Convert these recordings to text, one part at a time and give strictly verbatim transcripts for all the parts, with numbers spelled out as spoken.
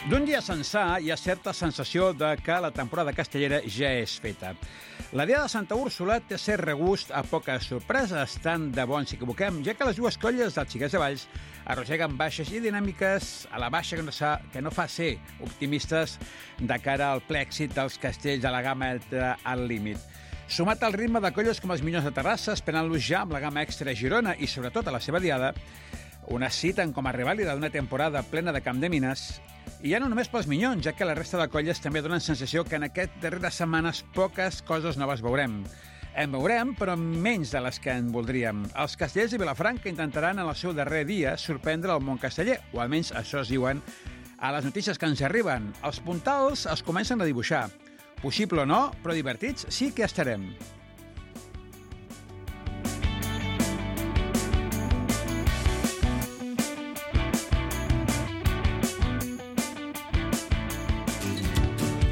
D'un dia sencer hi ha certa sensació de que la temporada castellera ja és feta. La Diada de Santa Úrsula té cert regust a poques sorpreses, tant de bo ens equivoquem, ja que les dues colles dels Xiquets de Valls arrosseguen baixes i dinàmiques a la baixa que no, sa, que no fa ser optimistes de cara al ple èxit dels castells de la gamma extra al límit. Sumat al ritme de colles com els Minyons de Terrassa, esperant-los ja amb la gamma extra a Girona i sobretot a la seva diada, una citen com a revàlida d'una temporada plena de camp de mines, i ja no només pels Minyons, ja que la resta de colles també donen sensació que en aquestes darreres setmanes poques coses noves veurem. En veurem, però menys de les que en voldríem. Els castellers de Vilafranca intentaran en el seu darrer dia sorprendre el món casteller, o almenys això es diuen a les notícies que ens arriben. Els puntals es comencen a dibuixar. Possible o no, però divertits sí que estarem.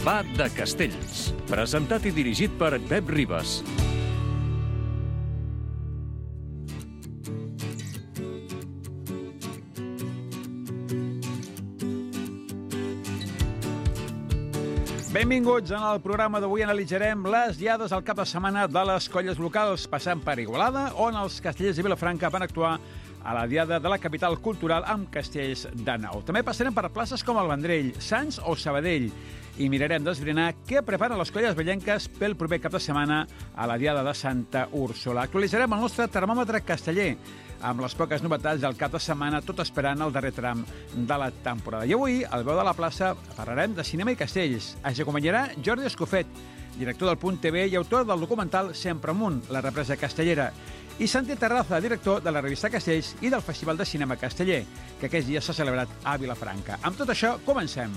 Va de Castells, presentat i dirigit per Pep Ribas. Benvinguts. En el programa d'avui analitzarem les diades al cap de setmana de les colles locals, passant per Igualada, on els castellers de Vilafranca van actuar a la diada de la capital cultural amb castells de nou. També passarem per places com el Vendrell, Sants o Sabadell i mirarem d'esbrinar què preparen les colles vellenques pel proper cap de setmana a la diada de Santa Úrsula. Actualitzarem el nostre termòmetre casteller amb les poques novetats del cap de setmana, tot esperant el darrer tram de la temporada. I avui, al Veu de la Plaça, parlarem de cinema i castells. Ens acompanyarà Jordi Escofet, director del Punt T V i autor del documental Sempre Amunt, la represa castellera, i Santi Terraza, director de la revista Castells i del Festival de Cinema Casteller, que aquests dies s'ha celebrat a Vilafranca. Amb tot això, comencem.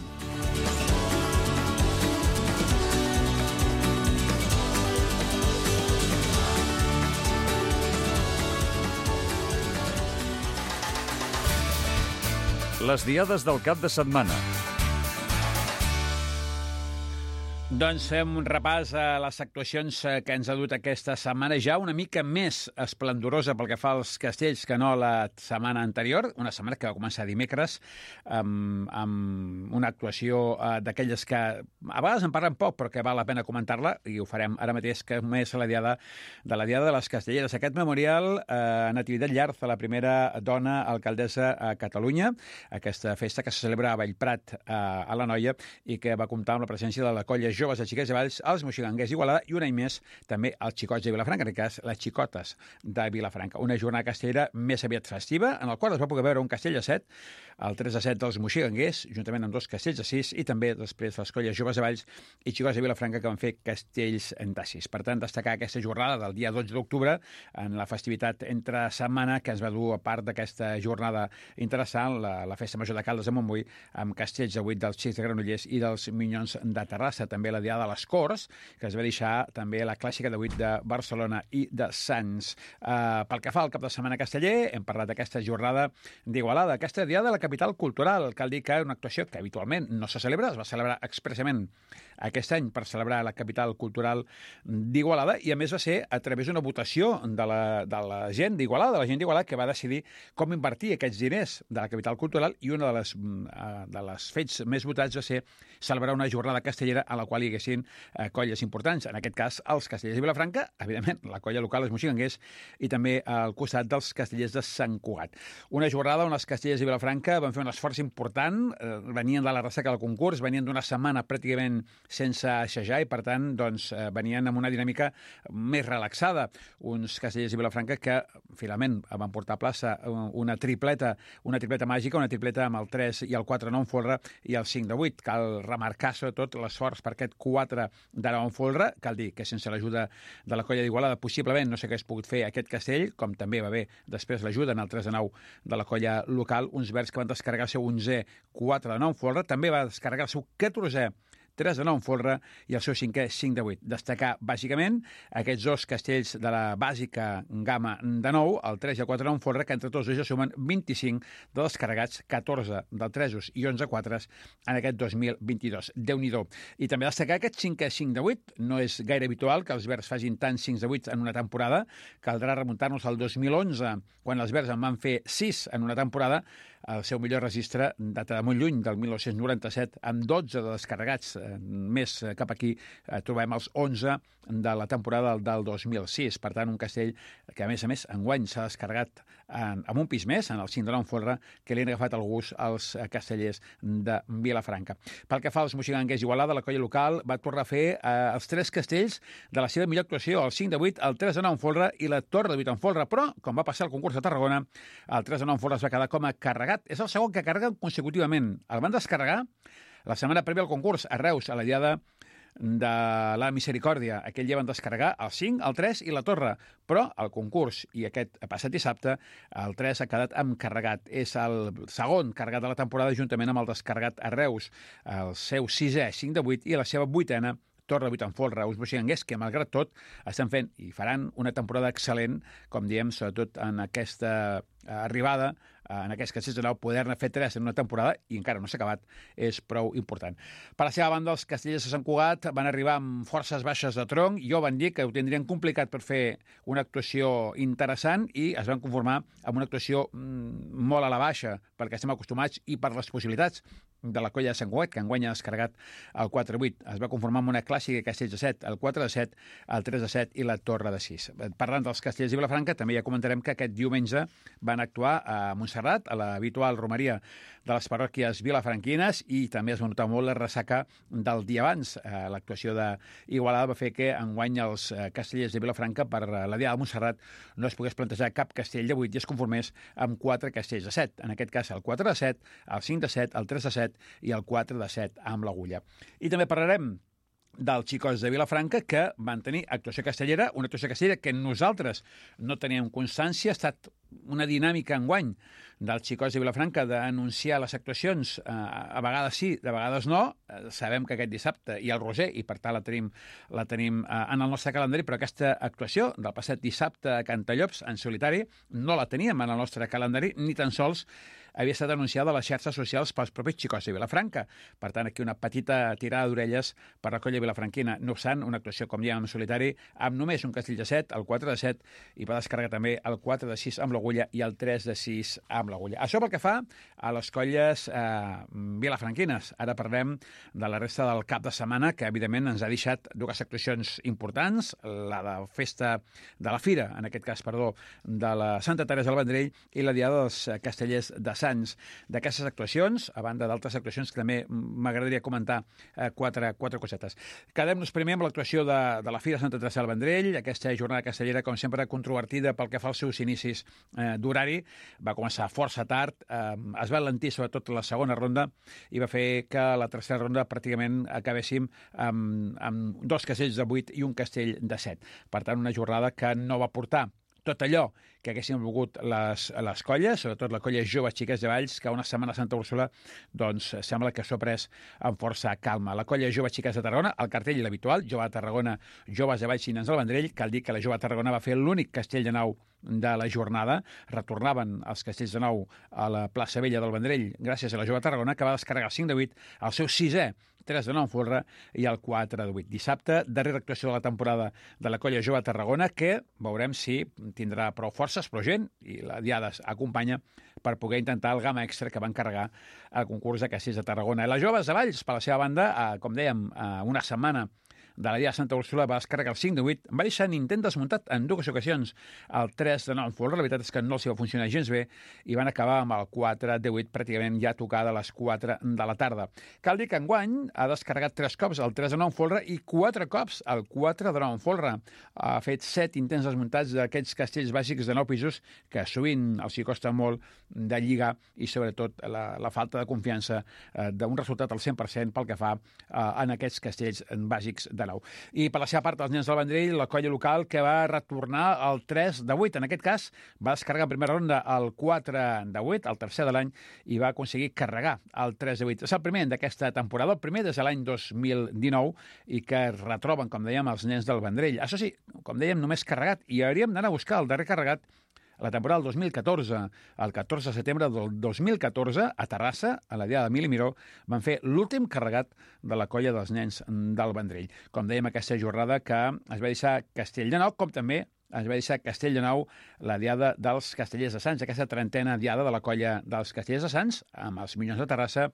Les diades del cap de setmana. Doncs fem un repàs a les actuacions que ens ha dut aquesta setmana, ja una mica més esplendorosa pel que fa als castells que no la setmana anterior, una setmana que va començar dimecres amb, amb una actuació eh, d'aquelles que a vegades en parlen poc però que val la pena comentar-la, i ho farem ara mateix, que és la diada de la diada de les castelleres. Aquest memorial eh, Natividad Llarza, la primera dona alcaldessa a Catalunya, aquesta festa que se celebra a Bellprat, eh, a l'Anoia, i que va comptar amb la presència de la colla joves de Xiquets de Valls, els moxiganguers d'Igualada i un any més també els xicots de Vilafranca, en aquest cas les xicotes de Vilafranca. Una jornada castellera més aviat festiva, en el qual es va poder veure un castell de set, el tres a set dels moxiganguers, juntament amb dos castells de sis, i també després les colles joves de Valls i xicots de Vilafranca que van fer castells de sis. Per tant, destacar aquesta jornada del dia dotze d'octubre en la festivitat entre setmana que ens va dur a part d'aquesta jornada interessant, la, la festa major de Caldes de Montbui, amb castells de vuit dels Xics de Granollers i dels Minyons de Terrassa. També la diada de les Corts, que es va deixar també la clàssica de vuit de Barcelona i de Sants. Uh, pel que fa al cap de setmana casteller, hem parlat d'aquesta jornada d'Igualada, aquesta diada de la capital cultural. Cal dir que una actuació que habitualment no se celebra, es va celebrar expressament aquest any per celebrar la capital cultural d'Igualada, i a més va ser a través d'una votació de la, de la gent d'Igualada, de la gent d'Igualada, que va decidir com invertir aquests diners de la capital cultural, i una de les, de les fets més votats va ser celebrar una jornada castellera a la qual hi haguessin eh, colles importants, en aquest cas els castellers de Vilafranca, evidentment la colla local, els moxiganguers, i també al costat dels castellers de Sant Cugat. Una jornada on els castellers de Vilafranca van fer un esforç important, eh, venien de la ressaca del concurs, venien d'una setmana pràcticament sense assajar i, per tant, doncs, eh, venien amb una dinàmica més relaxada. Uns castellers de Vilafranca que, finalment, van portar a plaça una tripleta, una tripleta màgica, una tripleta amb el tres i el quatre no en folre i el cinc de vuit. Cal remarcar, sobretot, l'esforç per aquest quatre de nou en folre. Cal dir que sense l'ajuda de la colla d'Igualada possiblement no s'hagués pogut fer aquest castell, com també va haver després l'ajuda en el tres de nou de la colla local, uns verds que van descarregar el seu onzè quatre de nou en folre, també va descarregar el seu catorzè tres de nou en folre i el seu cinquè cinc de vuit. Destacar, bàsicament, aquests dos castells de la bàsica gamma de nou, el tres i el quatre de nou en folre, que entre tots dos ja sumen vint-i-cinc de descarregats, catorze del tresos i onze quatres en aquest dos mil vint-i-dos. Déu-n'hi-do. I també destacar aquest cinquè cinc de vuit. No és gaire habitual que els verds facin tants cinc de vuit en una temporada. Caldrà remuntar-nos al dos mil onze, quan els verds en van fer sis en una temporada. el seu millor registre data de molt lluny, del mil nou-cents noranta-set, amb dotze de descarregats. Més cap aquí trobem els onze de la temporada del dos mil sis. Per tant, un castell que, a més a més, enguany s'ha descarregat en, en un pis més, en el cim de l'Enfolra, que li han agafat el gust als castellers de Vilafranca. Pel que fa als moixiganguers Igualada, la colla local va tornar a fer eh, els tres castells de la seva millor actuació, el cinc de vuit, el tres de nou Enfolra i la torre de vuit Enfolra, però, com va passar al concurs de Tarragona, el tres de nou Enfolra es va quedar com a carregat. És el segon que carreguen consecutivament. El van descarregar la setmana prèvia al concurs a Reus, a la diada de la Misericòrdia. Aquell dia van descarregar el cinc, el tres i la torre, però el concurs, i aquest passat dissabte, el tres ha quedat amb carregat. És el segon carregat de la temporada juntament amb el descarregat a Reus, el seu sisè, cinc de vuit, i la seva vuitena, torre de vuit Enfolra, uns moixiganguers que, malgrat tot, estan fent i faran una temporada excel·lent, com diem, sobretot en aquesta arribada, en aquest castells de nou, poder-ne fer tres en una temporada, i encara no s'ha acabat, és prou important. Per la seva banda, els castellers de Sant Cugat van arribar amb forces baixes de tronc, i jo van dir que ho tindrien complicat per fer una actuació interessant, i es van conformar amb una actuació mm, molt a la baixa, perquè estem acostumats, i per les possibilitats de la colla de Sant Cugat, que enguany ha descarregat el quatre vuit. Es va conformar amb una clàssica castells de set, el quatre de set, el tres de set i la torre de sis. Parlant dels castellers de Vilafranca, també ja comentarem que aquest diumenge van actuar a Montserrat, a l'habitual romeria de les parròquies vilafranquines, i també es va notar molt la ressaca del dia abans. L'actuació d'Igualada va fer que enguany els castellers de Vilafranca, per la diada de Montserrat, no es pogués plantejar cap castell de vuit i es conformés amb quatre castells de set. En aquest cas, el quatre de set, el cinc de set, el tres de set i el quatre de set amb l'Agulla. I també parlarem dels xicots de Vilafranca, que van tenir actuació castellera, una actuació castellera que nosaltres no teníem constància. Ha estat una dinàmica enguany dels xicots de Vilafranca d'anunciar les actuacions, eh, a vegades sí, de vegades no. Eh, sabem que aquest dissabte hi ha el Roser i per tant la tenim, la tenim eh, en el nostre calendari, però aquesta actuació del passat dissabte a Cantallops en solitari no la teníem en el nostre calendari, ni tan sols havia estat anunciada a les xarxes socials pels propis xicots de Vilafranca. Per tant, aquí una petita tirada d'orelles per la colla vilafranquina. No obstant, una actuació, com dèiem, en solitari, amb només un castell de set, el quatre de set, i va descarregar també el quatre de sis amb l'Agulla i el tres de sis amb l'Agulla. Això pel que fa a les colles eh, vilafranquines. Ara parlem de la resta del cap de setmana, que evidentment ens ha deixat dues actuacions importants, la de festa de la Fira, en aquest cas, perdó, de la Santa Teresa del Vendrell, i la diada dels castellers de Sants. D'aquestes actuacions, a banda d'altres actuacions que també m'agradaria comentar eh, quatre, quatre cosetes. Quedem-nos primer amb l'actuació de, de la Fira Santa Teresa del Vendrell, aquesta jornada castellera, com sempre, controvertida pel que fa als seus inicis eh, d'horari. Va començar força tard, eh, es va alentir sobretot la segona ronda i va fer que la tercera ronda pràcticament acabéssim amb, amb dos castells de vuit i un castell de set. Per tant, una jornada que no va portar tot allò que haguessin volgut les, les colles, sobretot la colla Joves Xiques de Valls, que una setmana a Santa Úrsula doncs, sembla que s'ho ha pres amb força calma. La colla Joves Xiques de Tarragona, el cartell l'habitual, Jove de Tarragona, Joves de Valls i Nens del Vendrell. Cal dir que la Jove de Tarragona va fer l'únic castell de nou de la jornada. Retornaven els castells de nou a la plaça Vella del Vendrell gràcies a la Jove de Tarragona, que va descarregar el cinc de vuit, el seu sisè, tres de nou Enfolra i el quatre de vuit. Dissabte, darrera actuació de la temporada de la colla Jove de Tarragona, que veurem si tindrà prou forces, prou gent, i la diada acompanya per poder intentar el gamma extra que van carregar al concurs de castells de Tarragona. I les Joves de Valls, per la seva banda, eh, com dèiem, eh, una setmana de la dia de Santa Úrsula va descarregar el cinc de vuit, va deixar Nintent desmuntat en dues ocasions el tres de nou Enfolra. La veritat és que no els va funcionar gens bé i van acabar amb el quatre de vuit pràcticament ja tocada a les quatre de la tarda. Cal dir que enguany ha descarregat tres cops el tres de nou Enfolra i quatre cops el quatre de nou Enfolra. Ha fet set intents desmuntats d'aquests castells bàsics de nou pisos que sovint els hi costa molt de lligar i sobretot la, la falta de confiança eh, d'un resultat al cent per cent pel que fa eh, en aquests castells bàsics de nou. I per la seva part, els Nens del Vendrell, la colla local que va retornar el tres de vuit. En aquest cas, va descarregar en primera ronda el quatre de vuit, el tercer de l'any, i va aconseguir carregar el tres de vuit. És el primer d'aquesta temporada, el primer des de l'any dos mil dinou, i que es retroben, com dèiem, els Nens del Vendrell. Això sí, com dèiem, només carregat, i hauríem d'anar a buscar el darrer carregat la temporada del dos mil catorze. El catorze de setembre del dos mil catorze, a Terrassa, a la diada de Mil i Miró, van fer l'últim carregat de la colla dels Nens del Vendrell. Com dèiem, aquesta jornada que es va deixar castell de nou, com també es va deixar Castell de Nou la diada dels Castellers de Sants, aquesta trentena diada de la colla dels Castellers de Sants, amb els Minyons de Terrassa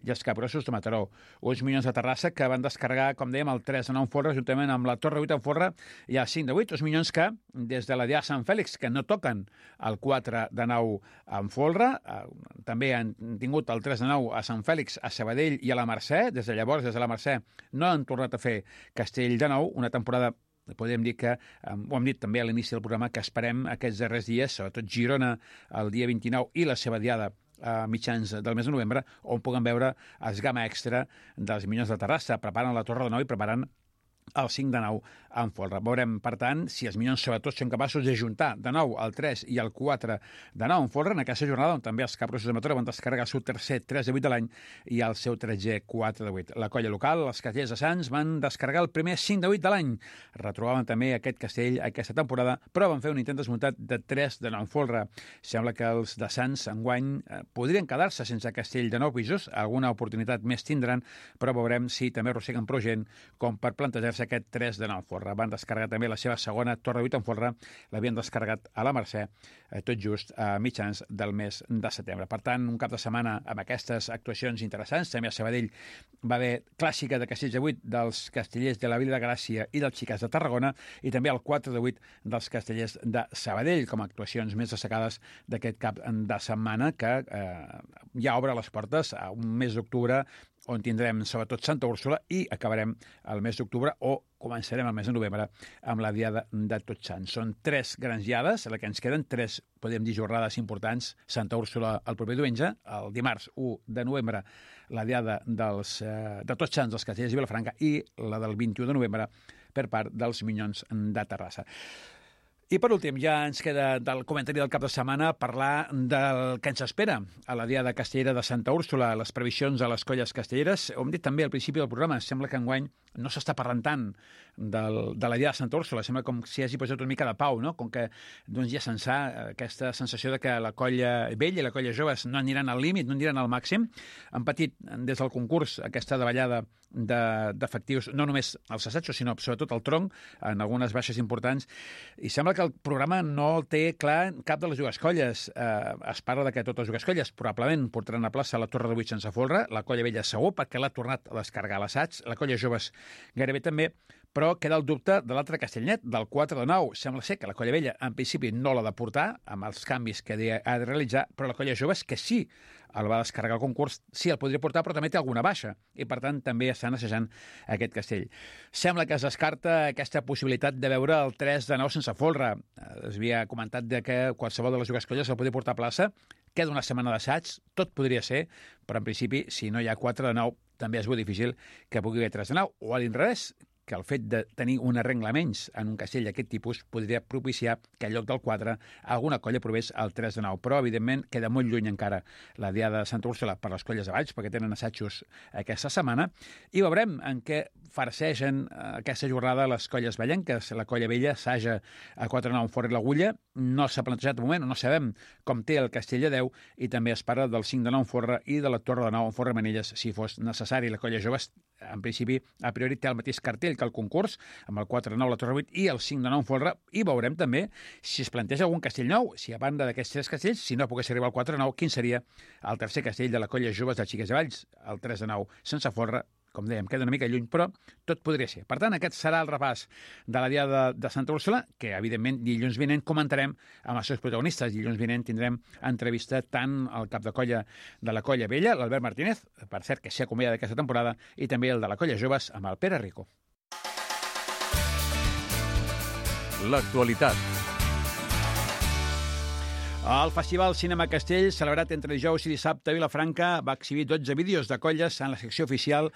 i els Capgrossos de Mataró. Uns Minyons de Terrassa que van descarregar, com dèiem, el tres de nou en folre, juntament amb la Torre vuit en folre i el cinc de vuit. Uns Minyons que, des de la diada Sant Fèlix, que no toquen el quatre de nou en folre, eh, també han tingut el tres de nou a Sant Fèlix, a Sabadell i a la Mercè. Des de llavors, des de la Mercè, no han tornat a fer Castell de Nou, una temporada podem dir que, ho hem dit també a l'inici del programa, que esperem aquests darrers dies, sobretot Girona el dia vint-i-nou i la seva diada a mitjans del mes de novembre, on puguem veure els gamma extra dels Minyons de Terrassa. Preparen la Torre de Nou i preparen el cinc de nou en folre. Veurem, per tant, si els Minyons sobretot són capaços de juntar de nou el tres i el quatre de nou en folre en aquesta jornada on també els Capgrossos de Mataró van descarregar el seu tercer tres de vuit de l'any i el seu tretzè quatre de vuit. La colla local, els Castellers de Sants, van descarregar el primer cinc de vuit de l'any. Retrobaven també aquest castell aquesta temporada, però van fer un intent desmuntat de tres de nou en folre. Sembla que els de Sants enguany eh, podrien quedar-se sense castell de nou pisos, alguna oportunitat més tindran, però veurem si també arrosseguen prou gent com per plantejar aquest tres de nou en folre. Van descarregar també la seva segona Torre vuit en folre, l'havien descarregat a la Mercè, eh, tot just a mitjans del mes de setembre. Per tant, un cap de setmana amb aquestes actuacions interessants. També a Sabadell va haver clàssica de Castells de vuit dels Castellers de la Vila de Gràcia i dels Xicats de Tarragona, i també el quatre de vuit dels Castellers de Sabadell, com a actuacions més destacades d'aquest cap de setmana, que eh, ja obre les portes a un mes d'octubre on tindrem sobretot Santa Úrsula i acabarem el mes d'octubre o començarem el mes de novembre amb la diada de Tots Sants. Són tres grans diades, la que ens queden, tres, podem dir, jornades importants. Santa Úrsula el proper diumenge, el dimarts u de novembre, la diada dels, eh, de Tots Sants dels Castellers i Vilafranca, i la del vint-i-u de novembre per part dels Minyons de Terrassa. I per últim, ja ens queda del comentari del cap de setmana parlar del que ens espera a la diada castellera de Santa Úrsula, les previsions a les colles castelleres. Ho hem dit també al principi del programa, sembla que enguany no s'està parlant tant del, de la diada de Santa Úrsula, sembla com si hagi posat una mica de pau, no? Com que doncs, ja se'n sa aquesta sensació de que la colla vella i la colla joves no aniran al límit, no aniran al màxim. Han patit des del concurs aquesta davallada d'efectius, no només els assajos, sinó sobretot el tronc, en algunes baixes importants, i sembla que el programa no té clar cap de les dues colles. Eh, es parla de que totes les dues colles probablement portaran a plaça la Torre de vuit sense folre, la colla vella segur, perquè l'ha tornat a descarregar a l'assaig, la colla joves gairebé també, però queda el dubte de l'altre castellnet, del quatre de nou. Sembla ser que la colla vella, en principi, no l'ha de portar, amb els canvis que ha de realitzar, però la colla joves, que sí el va descarregar al concurs, sí el podria portar, però també té alguna baixa, i per tant també estan assajant aquest castell. Sembla que es descarta aquesta possibilitat de veure el tres de nou sense folre. Es havia comentat de que qualsevol de les dues colles el podia portar a plaça, queda una setmana d'assaig, tot podria ser, però en principi, si no hi ha quatre de nou, també és molt difícil que pugui haver tres de nou, o a l'inrevés, que el fet de tenir una regla menys en un castell d'aquest tipus podria propiciar que en lloc del quatre alguna colla provés el tres de nou. Però, evidentment, queda molt lluny encara la diada de Santa Úrsula per les colles de Valls, perquè tenen assajos aquesta setmana, i veurem en què farsegen aquesta jornada les colles vallenques. La colla vella assaja a quatre de nou en Fort i l'Agulla, no s'ha plantejat de moment, no sabem com té el castell de Déu, i també es parla del cinc de nou en Forra i de la Torre de nou en Forra Manelles, si fos necessari. La colla jove, en principi, a priori té el mateix cartell que el concurs, amb el quatre de nou la Torre vuit i el cinc de nou en folre, i veurem també si es planteja algun castell nou, si a banda d'aquests tres castells, si no pogués arribar al quatre de nou, quin seria el tercer castell de la colla joves de Xiques de Valls, el tres de nou sense folre. Com dèiem, queda una mica lluny, però tot podria ser. Per tant, aquest serà el repàs de la diada de Santa Úrsula, que, evidentment, dilluns vinent comentarem amb els seus protagonistes. Dilluns vinent tindrem entrevista tant al cap de colla de la colla vella, l'Albert Martínez, per cert, que s'ha acomiadat d'aquesta temporada, i també el de la colla joves amb el Pere Rico. L'actualitat. El Festival Cinema Castell, celebrat entre dijous i dissabte a Vilafranca, va exhibir dotze vídeos de colles en la secció oficial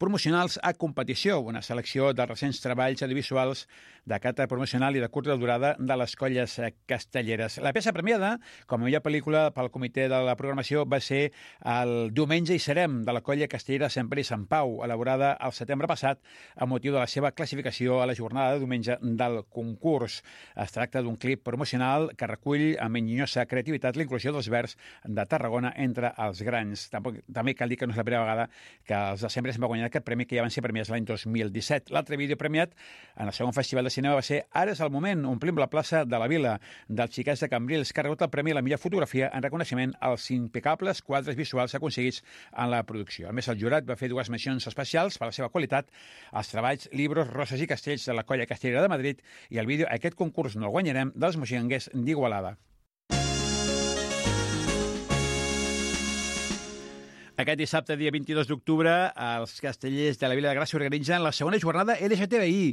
promocionals a competició, una selecció de recents treballs audiovisuals de caràcter promocional i de curta durada de les colles castelleres. La peça premiada, com a millor pel·lícula pel comitè de la programació, va ser el Diumenge hi serem, de la colla castellera Sant Pere i Sant Pau, elaborada el setembre passat a motiu de la seva classificació a la jornada de diumenge del concurs. Es tracta d'un clip promocional que recull amb enginyosa creativitat l'inclusió dels verds de Tarragona entre els grans. Tampoc, també cal dir que no és la primera vegada que els de Sempre se'n va guanyar aquest premi, que ja van ser premiats l'any dos mil disset. L'altre vídeo premiat en el segon festival de cinema va ser Ara és el moment, omplim la plaça de la Vila, dels xiquets de Cambrils, que ha rebut el premi a la millor fotografia en reconeixement als impecables quadres visuals aconseguits en la producció. A més, el jurat va fer dues mencions especials per la seva qualitat als treballs Libros, Roses i Castells de la Colla Castellera de Madrid i el vídeo Aquest concurs no el guanyarem dels moixinguers d'Igualada. Aquest dissabte, dia vint-i-dos d'octubre, els castellers de la Vila de Gràcia organitzen la segona jornada L G T B I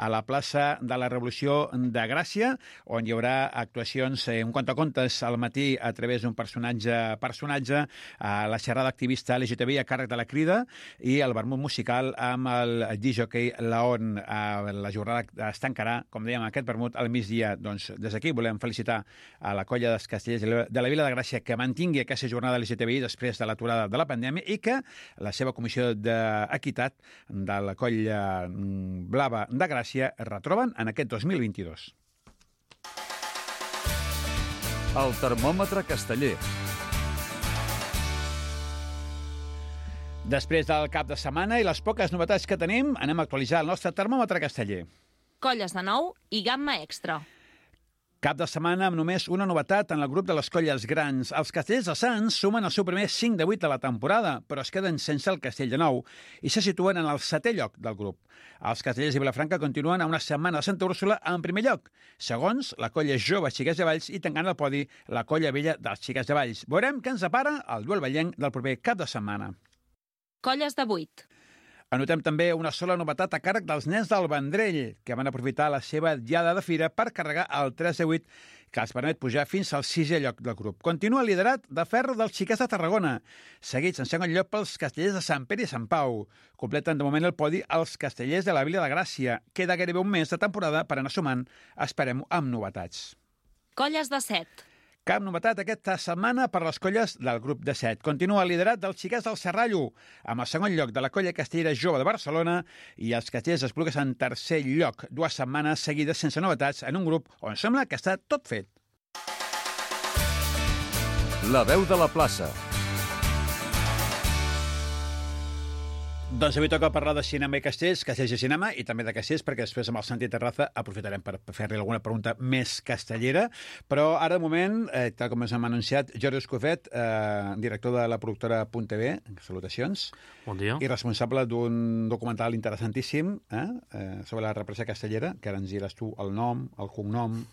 a la plaça de la Revolució de Gràcia, on hi haurà actuacions, eh, un contacontes al matí a través d'un personatge personatge, a la xerrada activista L G T B I a càrrec de la Crida i el vermut musical amb el disjockey Laon. La jornada es tancarà, com dèiem, aquest vermut al migdia. Doncs des d'aquí volem felicitar a la colla dels castellers de la Vila de Gràcia que mantingui aquesta jornada L G T B I després de l'aturada de la pandèmia i que la seva comissió d'equitat de la colla blava de Gràcia es retroben en aquest dos mil vint-i-dos. El termòmetre casteller. Després del cap de setmana i les poques novetats que tenim, anem a actualitzar el nostre termòmetre casteller. Colles de nou i gamma extra. Cap de setmana amb només una novetat en el grup de les colles grans. Els castellers de Sants sumen el seu primer cinc de vuit de la temporada, però es queden sense el castell de nou i se situen en el setè lloc del grup. Els castellers de Vilafranca continuen a una setmana de Santa Úrsula en primer lloc. Segons, la colla jove Xiquets de Valls i tancant el podi la colla vella dels Xiquets de Valls. Veurem què ens depara el duel vallenc del proper cap de setmana. Colles de vuit. Anotem també una sola novetat a càrrec dels nens del Vendrell, que van aprofitar la seva diada de fira per carregar el tres de vuit, que els permet pujar fins al sisè lloc del grup. Continua el liderat de ferro dels Xiquets de Tarragona, seguits en segon lloc pels castellers de Sant Pere i Sant Pau. Completen de moment el podi els castellers de la Vila de Gràcia. Queda gairebé un mes de temporada per anar sumant, esperem, amb novetats. Colles de set. Cap novetat aquesta setmana per les colles del grup de set. Continua el liderat dels Xiquets del Serrallo, amb el segon lloc de la colla castellera jove de Barcelona i els castellers Esplugues en tercer lloc, dues setmanes seguides sense novetats en un grup on sembla que està tot fet. La veu de la plaça. Doncs avui toca parlar de cinema i castells, castells i cinema, i també de castells, perquè després amb el Santi Terraza aprofitarem per fer-li alguna pregunta més castellera. Però ara, de moment, eh, tal com ens hem anunciat, Jordi Escofet, eh, director de la productora Punt T V, salutacions. Bon dia. I responsable d'un documental interessantíssim eh, eh, sobre la represa castellera, que ara ens diràs tu el nom, el cognom,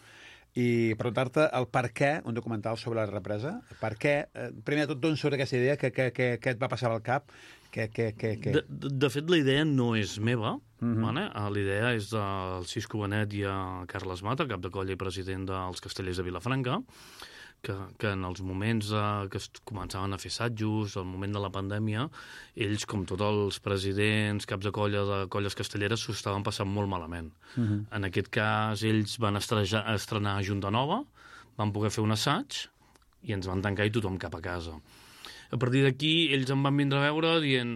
i preguntar-te el per què un documental sobre la represa. Per què, eh, primer de tot, d'on surt aquesta idea, què, què, què, què et va passar al cap? Que, que, que, que... De, de, de fet, la idea no és meva. Uh-huh. Vale? La idea és del Cisco Benet i a Carles Mata, cap de colla i president dels Castellers de Vilafranca, que, que en els moments eh, que es començaven a fer assajos, al moment de la pandèmia, ells, com tots els presidents, caps de colla de colles castelleres, s'ho estaven passant molt malament. Uh-huh. En aquest cas, ells van estrejar, estrenar Junta Nova, van poder fer un assaig i ens van tancar i tothom cap a casa. A partir d'aquí, ells em van vindre a veure dient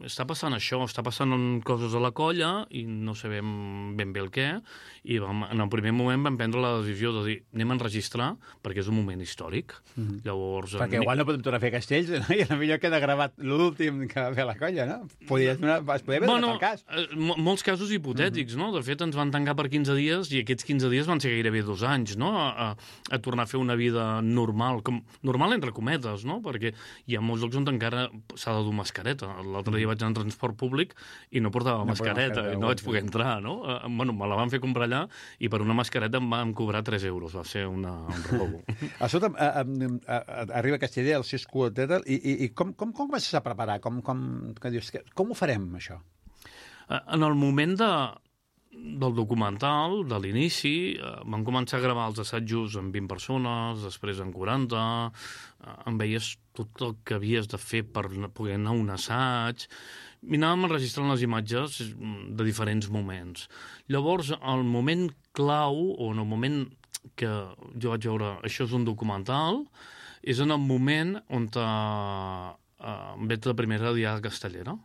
està passant això, està passant coses a la colla i no sabem ben bé el què, i vam, en el primer moment vam prendre la decisió de dir anem a enregistrar perquè és un moment històric. Mm-hmm. Llavors, perquè igual no podem tornar a fer castells, no? I potser queda gravat l'últim que va fer la colla, no? Podries donar, es podria haver bueno, el cas. Eh, molts casos hipotètics, mm-hmm. no? De fet, ens van tancar per quinze dies i aquests quinze dies van ser gairebé dos anys, no? A, a, a tornar a fer una vida normal, com, normal entre cometes, no? Perquè hi ha molts llocs on encara s'ha de dur mascareta. L'altre dia vaig anar en transport públic i no portava no mascareta, i no vaig poder entrar, no? Uh, bueno, me la van fer comprar allà i per una mascareta em van cobrar tres euros. Va ser una, un robo. Escolta'm, uh, uh, uh, arriba aquesta idea, el Cisco, etcètera, i, i, i com, com, com comences a preparar? Com, com, que dius, que, com ho farem, això? Uh, en el moment de, del documental, de l'inici, eh, vam començar a gravar els assajos amb vint persones, després amb quaranta, eh, em veies tot el que havies de fer per poder anar a un assaig, i anàvem enregistrant les imatges de diferents moments. Llavors, el moment clau, o en el moment que jo vaig veure això és un documental, és en el moment on te, eh, em veig la primera diada castellera.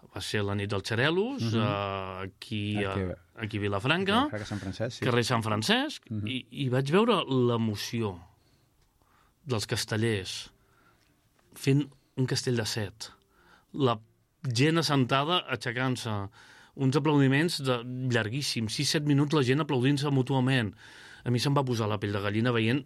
Va ser la nit dels Xarelos, uh-huh. uh, aquí, aquí, a, aquí a Vilafranca, aquí a Sant Francesc, sí. Carrer Sant Francesc, uh-huh. i, i vaig veure l'emoció dels castellers fent un castell de set. La gent assentada aixecant-se, uns aplaudiments de, llarguíssims, sis set minuts la gent aplaudint-se mútuament. A mi se'm va posar la pell de gallina veient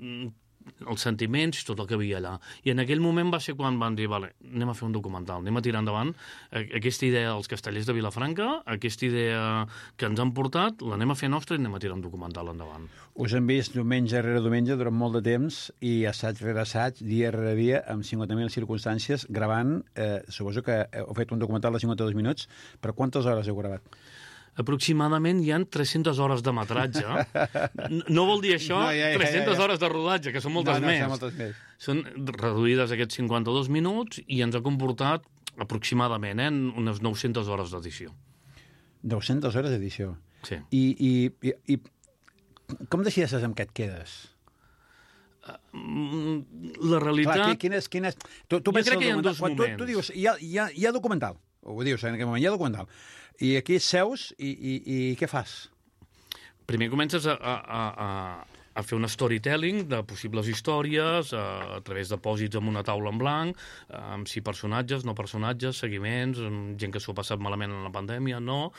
els sentiments i tot el que havia allà. I en aquell moment va ser quan van dir, vale, anem a fer un documental, anem a tirar endavant aquesta idea dels castellers de Vilafranca, aquesta idea que ens han portat, l'anem a fer nostra i anem a tirar un documental endavant. Us hem vist diumenge rere diumenge durant molt de temps i assaig rere assaig, dia rere dia, amb cinquanta mil circumstàncies, gravant, eh, suposo que heu fet un documental de cinquanta-dos minuts, però quantes hores heu gravat? Aproximadament hi ha tres-centes hores de metratge. No vol dir això no, ja, ja, tres-centes ja, ja. hores de rodatge, que són moltes no, no, més. Són moltes més. Són reduïdes aquests cinquanta-dos minuts i ens ha comportat aproximadament eh, unes nou-centes hores d'edició. nou-centes hores d'edició. Sí. I, i, i, i com decideixes amb què et quedes? La realitat... Clar, quines, quines... Tu, tu jo crec que hi ha dos quan moments. Tu, tu dius, hi ha, hi, ha, hi ha documental, ho dius en aquell moment, hi ha documental. I aquí seus i, i, i què fas? Primer comences a, a, a, a fer un storytelling de possibles històries a, a través de pòsits amb una taula en blanc, amb si personatges, no personatges, seguiments, amb gent que s'ho ha passat malament en la pandèmia, no.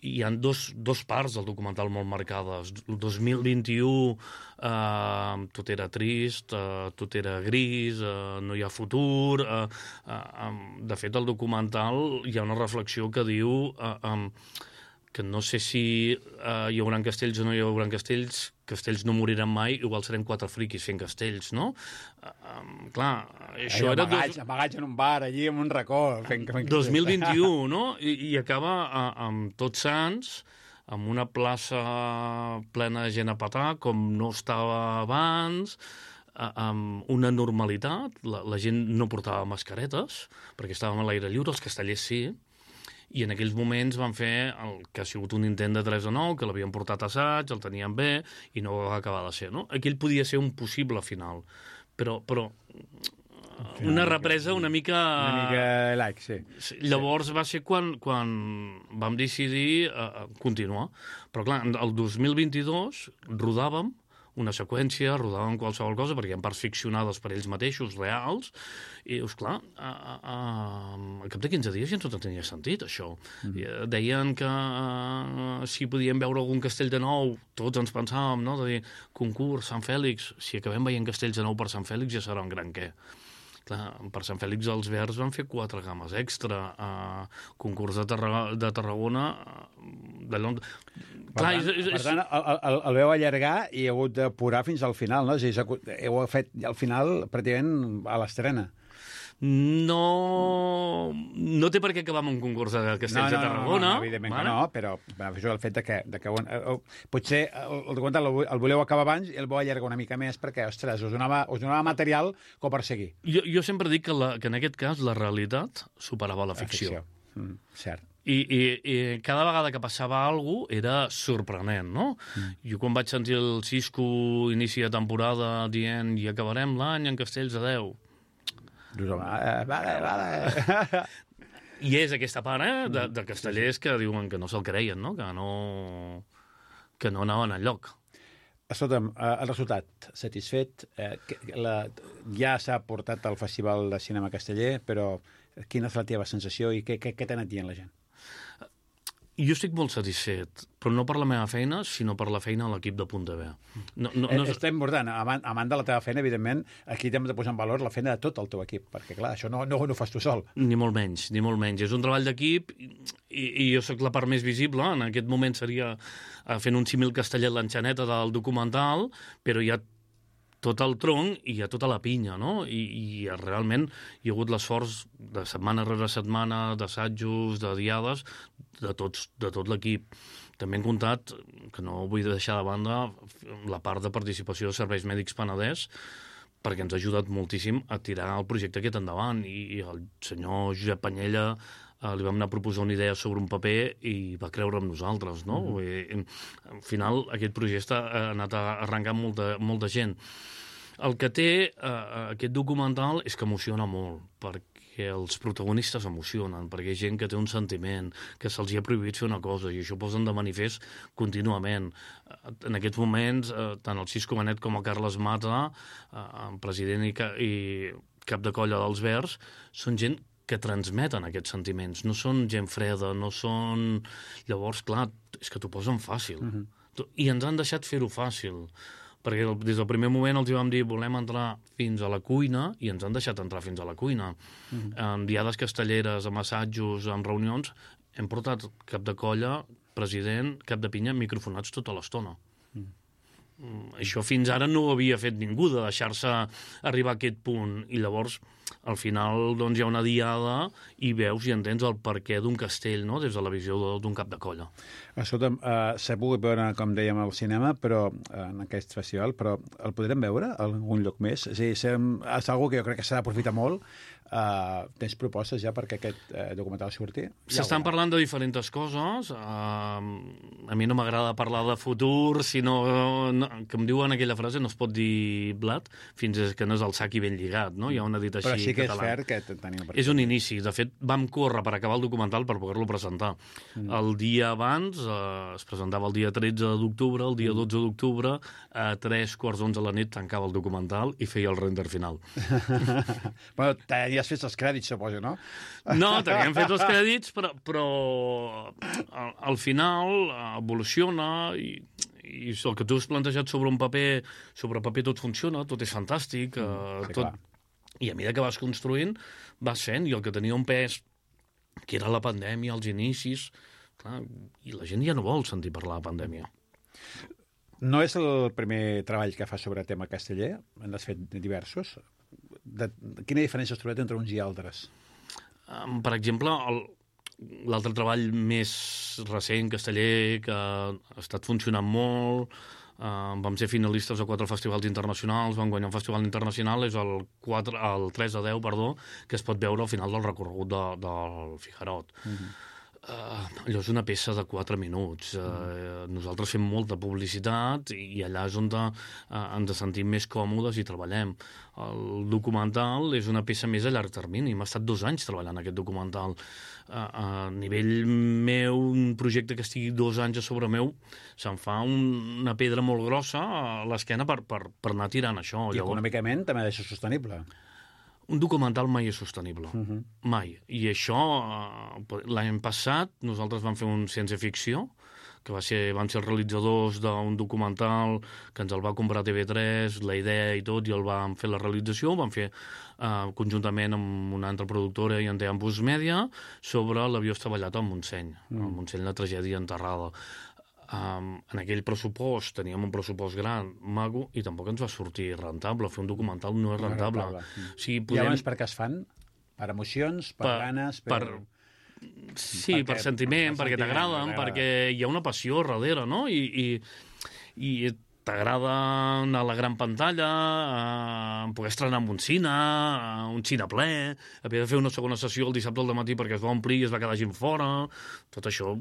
I hi ha dos, dos parts del documental molt marcades. El dos mil vint-i-u eh, tot era trist, eh, tot era gris, eh, no hi ha futur. Eh, eh, de fet, al documental hi ha una reflexió que diu eh, eh, que no sé si eh, hi haurà castells o no hi haurà castells, castells no moriran mai, igual serem quatre friquis fent castells, no? Uh, um, clar, això Ai, era... Amagats, dos... amagats en un bar, allí en un racó. Fent, fent dos mil vint-i-u, no? I, i acaba uh, amb Tots Sants, amb una plaça plena de gent a petar, com no estava abans, uh, amb una normalitat. La, la gent no portava mascaretes, perquè estàvem a l'aire lliure, els castellers sí, i en aquells moments van fer el que ha sigut un intent de tres a nou, que l'havien portat a assaig, el tenien bé, i no va acabar de ser, no? Aquell podia ser un possible final, però, però una represa una mica... Una mica like, sí. Llavors va ser quan, quan vam decidir uh, continuar. Però clar, el dos mil vint-i-dos rodàvem una seqüència, rodàvem qualsevol cosa, perquè hi ha parts ficcionades per ells mateixos, reals, i, esclar, a, a, a, al cap de quinze dies ja tot tenia sentit, això. Mm. Deien que uh, si podíem veure algun castell de nou, tots ens pensàvem, no?, de dir, concurs, Sant Fèlix, si acabem veient castells de nou per Sant Fèlix ja serà un gran què. Clar, per Sant Fèlix els Verds van fer quatre games extra, uh, concurs de, Tarra de Tarragona, de Londres... Clar, per tant, és, és... per tant el, el, el veu allargar i heu hagut d'apurar fins al final, no? És a dir, heu fet al final pràcticament a l'estrena. No, no té per què acabar amb un concurs de castells no, no, de Tarragona. No, no, evidentment vale? que no, però això el fet de que, de que uh, uh, potser el, el documental el, el voleu acabar abans i el vau allargar una mica més perquè, ostres, us donava, us donava material com per seguir. Jo, jo sempre dic que, la, que en aquest cas la realitat superava la ficció. La ficció. Mm, cert. I, i, i cada vegada que passava alguna cosa era sorprenent, no? Mm. Jo quan vaig sentir el Cisco inici de temporada dient i acabarem l'any en castells de deu. Dius, vale, vale. I és aquesta part, eh, de, de castellers que diuen que no se'l creien, no? Que no, que no anaven enlloc. Escolta'm, el resultat satisfet, eh, la, ja s'ha portat al Festival de Cinema Casteller, però quina és la teva sensació i què, què, què t'ha anat dient la gent? Jo estic molt satisfet, però no per la meva feina, sinó per la feina de l'equip de Punt de Ve. No, no, no... Està important. A banda de la teva feina, evidentment, aquí hem de posar en valor la feina de tot el teu equip, perquè, clar, això no, no, no ho fas tu sol. Ni molt menys, ni molt menys. És un treball d'equip i, i jo sóc la part més visible. En aquest moment seria fent un símil castellet l'enxaneta del documental, però hi ha tot el tronc i hi ha tota la pinya, no? I, i realment hi ha hagut l'esforç de setmana rere setmana, d'assajos, de diades, de, tots, de tot l'equip. També hem comptat, que no vull deixar de banda, la part de participació de Serveis Mèdics Penedès, perquè ens ha ajudat moltíssim a tirar el projecte aquest endavant. I, i el senyor Josep Panyella eh, li vam anar a proposar una idea sobre un paper i va creure en nosaltres, no? Mm -hmm. I, al final, aquest projecte ha anat arrencant molta, molta gent. El que té eh, aquest documental és que emociona molt, perquè els protagonistes emocionen, perquè hi ha gent que té un sentiment, que se'ls ha prohibit fer una cosa, i això posen de manifest contínuament. En aquests moments, eh, tant el Cisco Benet com el Carles Mata, eh, president i, ca i cap de colla dels Verds, són gent que transmeten aquests sentiments. No són gent freda, no són... Llavors, clar, és que t'ho posen fàcil. Uh-huh. I ens han deixat fer-ho fàcil. Perquè des del primer moment els vam dir volem entrar fins a la cuina i ens han deixat entrar fins a la cuina. Uh-huh. En diades castelleres, amb assajos, en reunions, hem portat cap de colla, president, cap de pinya, microfonats tota l'estona. Uh-huh. Mm, això fins ara no ho havia fet ningú, de deixar-se arribar a aquest punt. I llavors, al final, doncs, hi ha una diada i veus i entens el perquè d'un castell, no?, des de la visió d'un cap de colla. Escolta'm, uh, s'ha pogut veure, com dèiem, al cinema, però en aquest festival, però el podrem veure a algun lloc més? És a dir, és algo que jo crec que s'ha d'aprofitar molt. Uh, tens propostes ja perquè aquest uh, documental surti? S'estan parlant de diferents coses. Uh, a mi no m'agrada parlar de futur, sinó no, que em diuen aquella frase, no es pot dir blat fins que no és el sac i ben lligat, no? Hi ha una dita així. Però sí que català. És fair que tenim... És un inici. De fet, vam córrer per acabar el documental per poder-lo presentar. Mm. El dia abans, uh, es presentava el dia tretze d'octubre, el dia dotze d'octubre, a tres quarts d'onze de la nit tancava el documental i feia el render final. Bueno, ja has fet els crèdits, suposo, no? No, teníem fet els crèdits, però, però al, al final evoluciona i, i el que tu has plantejat sobre un paper, sobre paper tot funciona, tot és fantàstic, mm, sí, tot, i a mesura que vas construint, vas fent, i el que tenia un pes, que era la pandèmia, els inicis, clar, i la gent ja no vol sentir parlar de pandèmia. No és el primer treball que fa sobre tema casteller, n'has fet diversos. De, quina diferència has trobat entre uns i altres? Um, per exemple, l'altre treball més recent, casteller, que ha estat funcionant molt, uh, vam ser finalistes a quatre festivals internacionals, vam guanyar un festival internacional, és el, quatre, el tres a deu, perdó, que es pot veure al final del recorregut de, del Figarot. Uh-huh. Uh, allò és una peça de quatre minuts. Uh, nosaltres fem molta publicitat i allà és on de, uh, ens sentim més còmodes i treballem. El documental és una peça més a llarg termini. M'ha estat dos anys treballant aquest documental. Uh, a nivell meu, un projecte que estigui dos anys a sobre meu, se'm fa un, una pedra molt grossa a l'esquena per, per, per anar tirant això. I econòmicament també ha de ser sostenible. Un documental mai és sostenible, uh-huh. mai. I això, l'any passat, nosaltres vam fer un ciència-ficció, que va ser, van ser els realitzadors d'un documental que ens el va comprar T V tres, la idea i tot, i el vam fer la realització, vam fer uh, conjuntament amb una altra productora i en Ambus Media, sobre l'avió estavellat al Montseny, mm. al Montseny, la tragèdia enterrada. Um, en aquell pressupost teníem un pressupost gran, maco, i tampoc ens va sortir rentable. Fer un documental no és rentable. No és rentable. O sigui, podem... I llavors per què es fan? Per emocions, per, per ganes? Per... per... Sí, perquè, per sentiment, per perquè t'agraden, perquè hi ha una passió darrere, no? I, i, i t'agrada anar a la gran pantalla, a poder estrenar en un cine, a un cine ple, haver de fer una segona sessió el dissabte al matí perquè es va omplir i es va quedar gent fora, tot això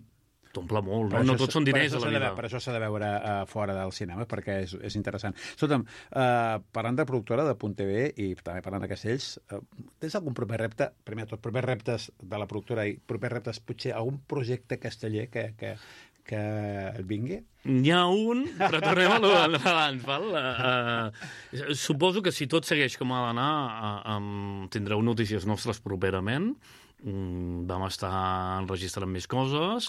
t'omple molt, no? No tots són diners a la vida. Per això s'ha de veure uh, fora del cinema, perquè és, és interessant. Escolta'm, uh, parlant de productora de Punt T V i també parlant de Castells, uh, tens algun proper repte, primer de tot, propers reptes de la productora i propers reptes, potser algun projecte casteller que, que, que et vingui? N'hi ha un, però tornem a l'abans, val? Uh, suposo que si tot segueix com ha d'anar, uh, um, tindreu notícies nostres properament. Mm, vam estar enregistrant més coses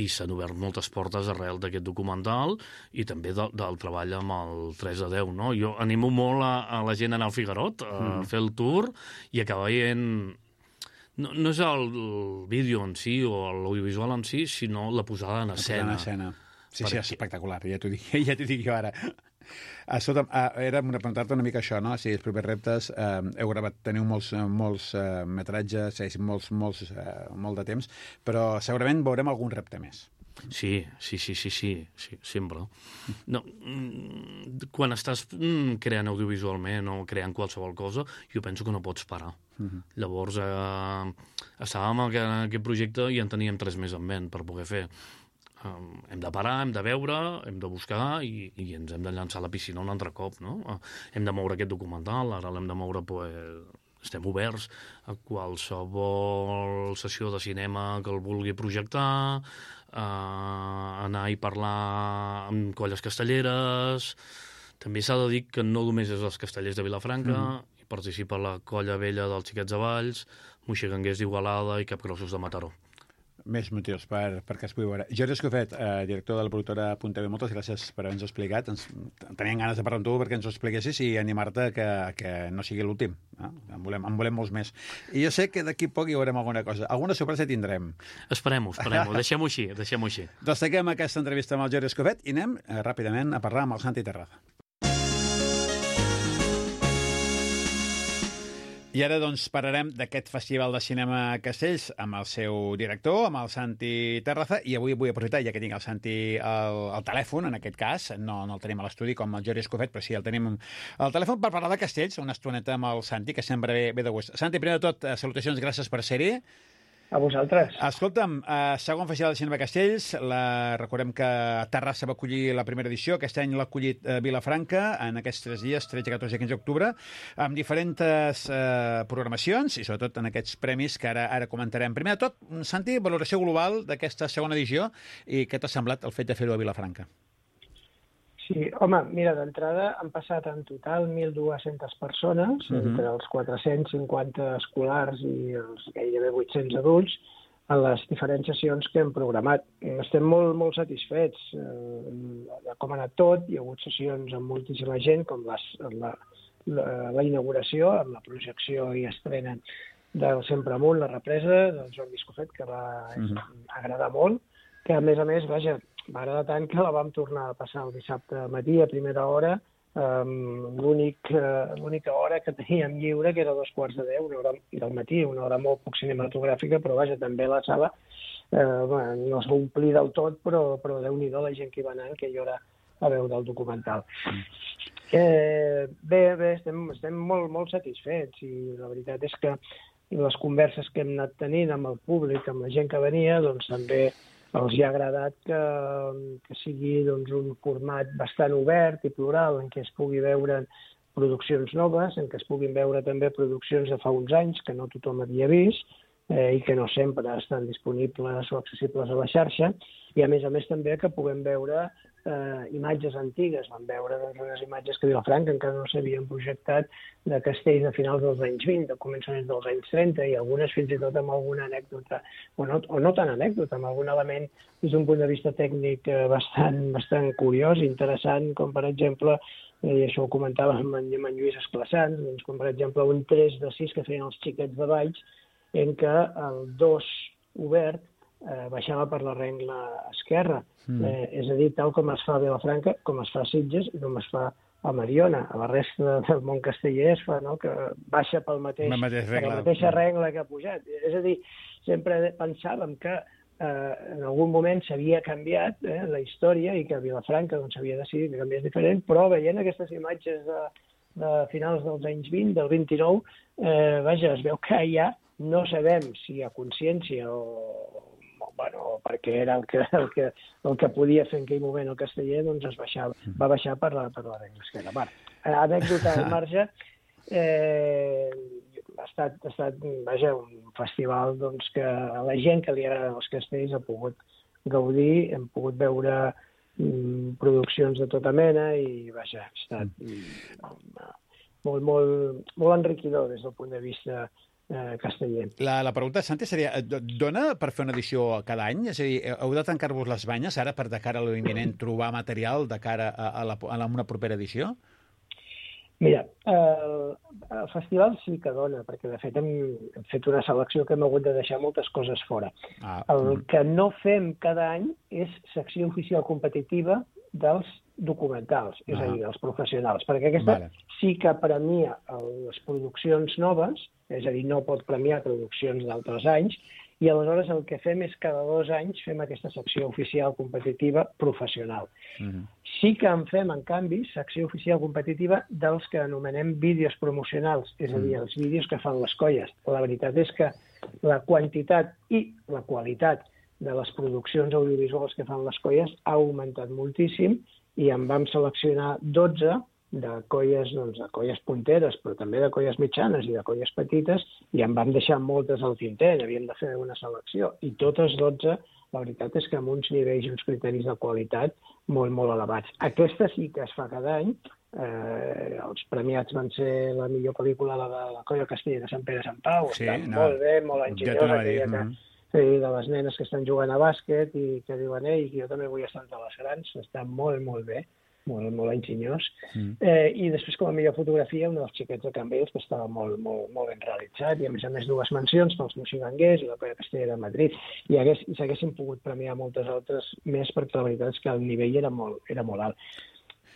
i s'han obert moltes portes arrel d'aquest documental i també de, del treball amb el tres a deu, no? Jo animo molt a, a la gent a anar al Figarot, a mm. fer el tour i acabar veient... No, no és el, el vídeo en si o l'audiovisual en si, sinó la posada en escena. La posada en escena. Sí, perquè... sí, és espectacular, ja t'ho dic, ja t'ho dic jo ara. Escolta'm, era una preguntar-te una mica això, no? Si els propers reptes, eh, heu gravat, teniu molts, molts eh, metratges, molts, molts, eh, molt de temps, però segurament veurem algun repte més. Sí, sí, sí, sí, sí, sí sempre. No, quan estàs creant audiovisualment o creant qualsevol cosa, jo penso que no pots parar. Uh-huh. Llavors, eh, estàvem en aquest projecte i en teníem tres més en ment per poder fer. Um, hem de parar, hem de veure, hem de buscar i, i ens hem de llançar a la piscina un altre cop, no? Uh, hem de moure aquest documental, ara l'hem de moure, pues, estem oberts a qualsevol sessió de cinema que el vulgui projectar, uh, anar i parlar amb colles castelleres. També s'ha de dir que no només és els castellers de Vilafranca, mm-hmm. participa la Colla Vella dels Xiquets de Valls, Moixigranguers d'Igualada i Capgrossos de Mataró. Més motius per, perquè es pugui veure. Jordi Escofet, eh, director de la productora Punta B, moltes gràcies per haver-nos explicat. Ens, teníem ganes de parlar amb tu perquè ens ho expliquessis i animar-te que, que no sigui l'últim. Eh? En, volem, en volem molts més. I jo sé que d'aquí poc hi veurem alguna cosa. Alguna sorpresa tindrem. Esperem-ho, esperem-ho. Deixem-ho així, deixem-ho així. Doncs tanquem aquesta entrevista amb el Jordi Escofet i anem eh, ràpidament a parlar amb el Santi Terraza. I ara doncs parlarem d'aquest Festival de Cinema a Castells amb el seu director, amb el Santi Terraza, i avui vull aprofitar, ja que tinc el Santi al, al telèfon, en aquest cas, no, no el tenim a l'estudi com el Jordi Escofet, però sí el tenim al telèfon per parlar de Castells, una estoneta amb el Santi, que sempre ve, ve de gust. Santi, primer de tot, salutacions, gràcies per ser-hi. A vosaltres. Escolta'm, eh, segon Festival de Cinema Castells, la, recordem que Terrassa va acollir la primera edició, aquest any l'ha acollit eh, Vilafranca, en aquests tres dies, tretze, catorze i quinze d'octubre, amb diferents eh, programacions i sobretot en aquests premis que ara ara comentarem. Primer de tot, Santi, valoració global d'aquesta segona edició i què t'ha semblat el fet de fer-ho a Vilafranca? Sí, home, mira, d'entrada han passat en total mil dues-centes persones, uh-huh. entre els quatre-cents cinquanta escolars i els gairebé vuit-cents adults, en les diferents sessions que hem programat. Estem molt, molt satisfets eh, com ha anat tot. Hi ha hagut sessions amb moltíssima gent, com les, la, la, la inauguració, amb la projecció i estrena del Sempre Amunt, la represa del Jordi Escofet, que va uh-huh. agradar molt, que a més a més, vaja, va agradar tant que la vam tornar a passar el dissabte matí a primera hora, um, l'única hora que teníem lliure, que era dos quarts de deu, una hora del matí, una hora molt poc cinematogràfica, però vaja, també la sala eh, bueno, no es va omplir del tot, però, però Déu-n'hi-do la gent que hi va anar, que jo era a veure el documental. Eh, bé, bé, estem, estem molt, molt satisfets i la veritat és que les converses que hem anat tenint amb el públic, amb la gent que venia, doncs també els hi ha agradat que, que sigui doncs, un format bastant obert i plural, en què es pugui veure produccions noves, en què es puguin veure també produccions de fa uns anys que no tothom havia vist eh, i que no sempre estan disponibles o accessibles a la xarxa, i a més a més també que puguem veure eh, imatges antigues. Vam veure doncs, unes imatges que a Vilafranca encara no s'havien projectat de castells de finals dels anys vint, de començaments dels anys trenta, i algunes fins i tot amb alguna anècdota, o no, o no tan anècdota, amb algun element des d'un punt de vista tècnic eh, bastant, bastant curiós, interessant, com per exemple, eh, i això ho comentava amb en, amb en Lluís Esclassans, doncs, com per exemple un tres de sis que feien els Xiquets de Valls, en què el dos obert eh, baixava per la rengla esquerra. Mm. Eh, és a dir, tal com es fa a Vilafranca, com es fa a Sitges i com es fa a Mariona. A la resta del món casteller es fa, no?, que baixa pel mateix, la, mateix per la mateixa regla que ha pujat. És a dir, sempre pensàvem que eh, en algun moment s'havia canviat eh, la història i que a Vilafranca doncs, s'havia decidit que canviés diferent, però veient aquestes imatges de, de finals dels anys vint, del vint-i-nou, eh, vaja, es veu que ja no sabem si a consciència o, o bueno, perquè era el que, el, que, el que podia fer en aquell moment el casteller, doncs es baixava, va baixar per la, per la regla esquerra. Bueno, anècdota al marge, eh, ha estat, ha estat vaja, un festival doncs, que a la gent que li agraden els castells ha pogut gaudir, hem pogut veure mm, produccions de tota mena i vaja, ha estat mm, molt, molt, molt enriquidor des del punt de vista Eh, casteller. La, la pregunta, Santi, seria, dona per fer una edició cada any? És a dir, heu de tancar-vos les banyes ara per de cara a l'imminent trobar material de cara a, a, la, a la, una propera edició? Mira, eh, el festival sí que dona, perquè de fet hem, hem fet una selecció que hem hagut de deixar moltes coses fora. Ah, el mm. que no fem cada any és secció oficial competitiva dels documentals, és ah. a dir, dels professionals, perquè aquesta vale. sí que premia les produccions noves, és a dir, no pot premiar produccions d'altres anys, i aleshores el que fem és cada dos anys fem aquesta secció oficial competitiva professional. Mm-hmm. Sí que en fem, en canvi, secció oficial competitiva dels que anomenem vídeos promocionals, és a dir, els vídeos que fan les colles. La veritat és que la quantitat i la qualitat de les produccions audiovisuals que fan les colles ha augmentat moltíssim i en vam seleccionar dotze de colles, doncs, de colles punteres, però també de colles mitjanes i de colles petites, i en vam deixar moltes al tinter, havíem de fer una selecció. I totes dotze, la veritat és que amb uns nivells i uns criteris de qualitat molt, molt elevats. Aquesta sí que es fa cada any, Eh, els premiats van ser la millor pel·lícula, la de la Colla Castellera, Sant Pere Sant Pau, Sí, està no, molt bé, molt ja enginyosa, t'ho anava a dir, aquella que, mhm. sí, de les nenes que estan jugant a bàsquet i que diuen, ei, jo també vull estar entre les grans, està molt, molt bé, molt, molt enginyós. Mm. Eh, I després, com a millor fotografia, un dels xiquets de Cambrils, que estava molt, molt, molt ben realitzat, i a més a més dues mencions pels Moixigangers i la Colla Castellera de Madrid. I, hagués, i s'haguessin pogut premiar moltes altres més, perquè la veritat és que el nivell era molt, era molt alt.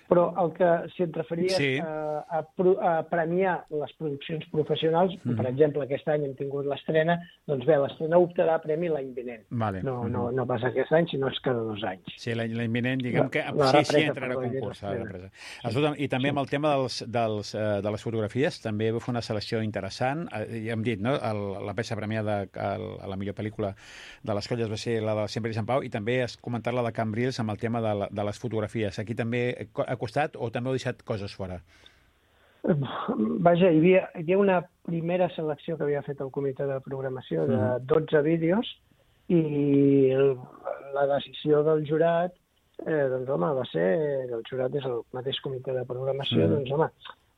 Però el que, si et referies Sí. a, a, a premiar les produccions professionals, mm. per exemple, aquest any hem tingut l'estrena, doncs bé, l'estrena optarà a premi l'any vinent. Vale. No, Mhm. no, no pas aquest any, sinó és cada dos anys. Sí, l'any l'any vinent, diguem La- que la sí, sí, represa, entrarà a perdó, concurs. la La represa. Escolta'm, i també amb el tema dels, dels, eh, de les fotografies, també vau fer una selecció interessant. Eh, ja hem dit, no?, el, la peça premiada el, a la millor pel·lícula de les colles va ser la de Sempre i Sant Pau, i també has comentat la de Cambrils amb el tema de, la, de les fotografies. Aquí també ha costat o també heu deixat coses fora? Vaja, hi havia, hi havia una primera selecció que havia fet el comitè de programació de Mhm. dotze vídeos i el, la decisió del jurat, eh, doncs home, va ser, el jurat és el mateix comitè de programació, Mhm. doncs home,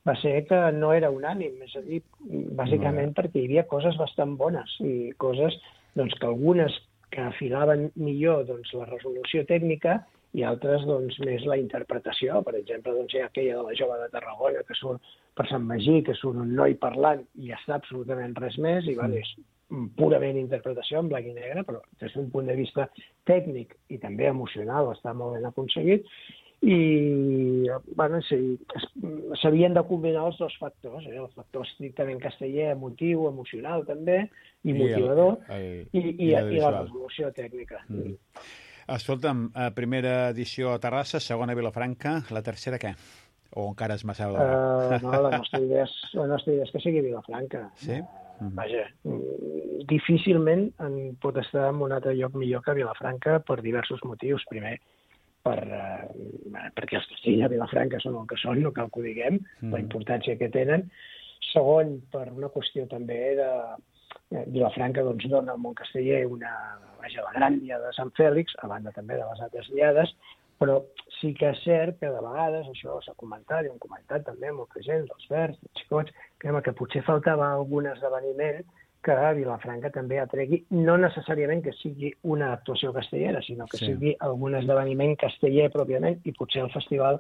va ser que no era unànim, és a dir, bàsicament perquè hi havia coses bastant bones i coses doncs, que algunes que afilaven millor doncs, la resolució tècnica i altres doncs, més la interpretació. Per exemple, doncs, hi ha aquella de la jove de Tarragona que surt per Sant Magí, que surt un noi parlant i està absolutament res més, i val, és purament interpretació en blanc i negre, però des d'un punt de vista tècnic i també emocional està molt ben aconseguit. I bueno, sí, s'havien de combinar els dos factors, eh? El factor estrictament casteller, emotiu, emocional també, i motivador, el, el, i, i, i, i la visual. resolució tècnica. Mm. Escolta'm, eh, primera edició a Terrassa, segona a Vilafranca, la tercera què? O encara és massa d'hora? Uh, no, la nostra idea és, la nostra idea és que sigui a Vilafranca. Sí? Uh, vaja, mm, difícilment en pot estar en un altre lloc millor que Vilafranca per diversos motius. Primer, per, uh, perquè els castells a Vilafranca són el que són, no cal que ho diguem, mm. la importància que tenen. Segon, per una qüestió també de... Vilafranca doncs, dona al món casteller una, vaja, la gran diada de Sant Fèlix, a banda també de les altres diades, però sí que és cert que de vegades, això s'ha comentat, i ho hem comentat també molta gent, dels verds, dels xicots, que, home, que potser faltava algun esdeveniment que a Vilafranca també atregui, no necessàriament que sigui una actuació castellera, sinó que sí. sigui algun esdeveniment casteller pròpiament, i potser el festival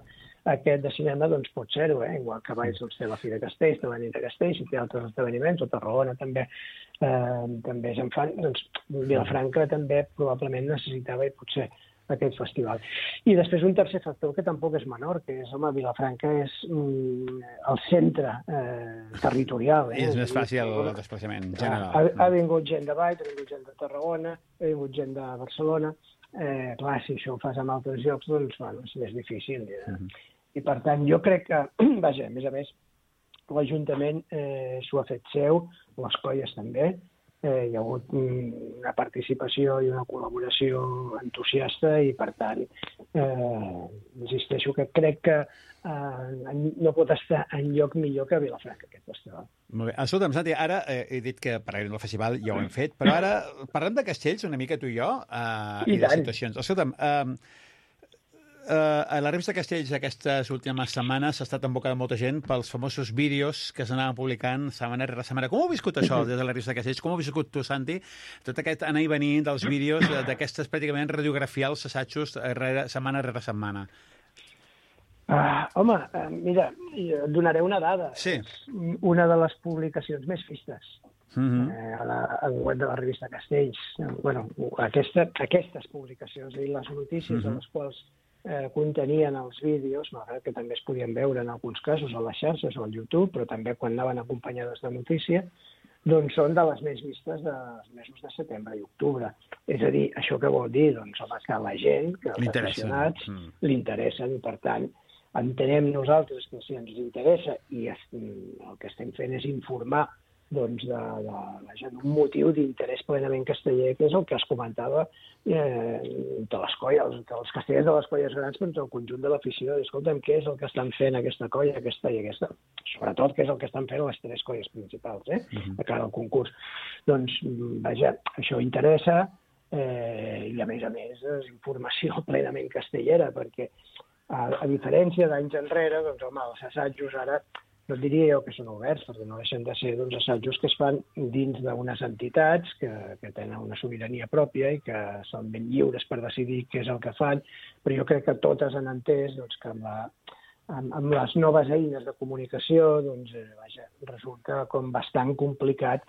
aquest de cinema doncs pot ser-ho, eh? Igual que Valls doncs, té la Fira Castells, té la nit de Castells, i té altres esdeveniments, o Tarragona també, eh, també se'n fan, doncs Vilafranca també probablement necessitava i potser aquest festival. I després un tercer factor que tampoc és menor, que és, home, Vilafranca és mm, el centre eh, territorial. Eh? És més fàcil el desplaçament general. Ha, ha vingut gent de Valls, ha vingut gent de Tarragona, ha vingut gent de Barcelona. Eh, clar, si això ho fas en altres llocs, doncs, bueno, és més difícil. Eh? Uh -huh. I, per tant, jo crec que, vaja, a més a més, l'Ajuntament eh, s'ho ha fet seu, les colles també, eh, hi ha hagut una participació i una col·laboració entusiasta i, per tant, eh, insisteixo que crec que eh, no pot estar en lloc millor que Vilafranca, aquest festival. Molt bé. Escolta'm, Santi, ara eh, he dit que parlarem del festival, ja ho hem fet, però ara parlem de castells una mica tu i jo eh, i, i de tant. situacions. Escolta'm, eh, Uh, a la revista Castells aquestes últimes setmanes ha estat en boca de molta gent pels famosos vídeos que s'anaven publicant setmana rere setmana. Com ho heu viscut això des de la revista Castells? Com ho heu viscut tu, Santi? Tot aquest anar i venir dels vídeos d'aquestes pràcticament radiografials assajos rere, setmana rere setmana. Uh, home, uh, mira, et donaré una dada. Sí. És una de les publicacions més vistes. Mm-hmm. eh, a la, al web de la revista Castells. Bueno, aquesta, aquestes publicacions, és a dir, les notícies mm-hmm. de les quals eh, contenien els vídeos, malgrat que també es podien veure en alguns casos a les xarxes o al YouTube, però també quan anaven acompanyades de notícia, doncs són de les més vistes dels mesos de setembre i octubre. És a dir, això què vol dir? Doncs, home, que la gent, que els aficionats, mm. li interessen, i per tant, entenem nosaltres que si ens interessa i es, el que estem fent és informar doncs, de, de, de, d'un motiu d'interès plenament casteller, que és el que es comentava eh, de les colles, dels castellers de les colles grans, però el conjunt de l'afició. Escolta'm, què és el que estan fent aquesta colla, aquesta i aquesta? Sobretot, què és el que estan fent les tres colles principals, eh, uh-huh. a cara al concurs. Doncs, vaja, això interessa, eh, i a més a més és informació plenament castellera, perquè A, a diferència d'anys enrere, doncs, home, els assajos ara no diria jo que són oberts, perquè no deixen de ser doncs, assajos que es fan dins d'unes entitats que, que tenen una sobirania pròpia i que són ben lliures per decidir què és el que fan, però jo crec que totes han entès doncs, que amb, la, amb, amb les noves eines de comunicació doncs, eh, vaja, resulta com bastant complicat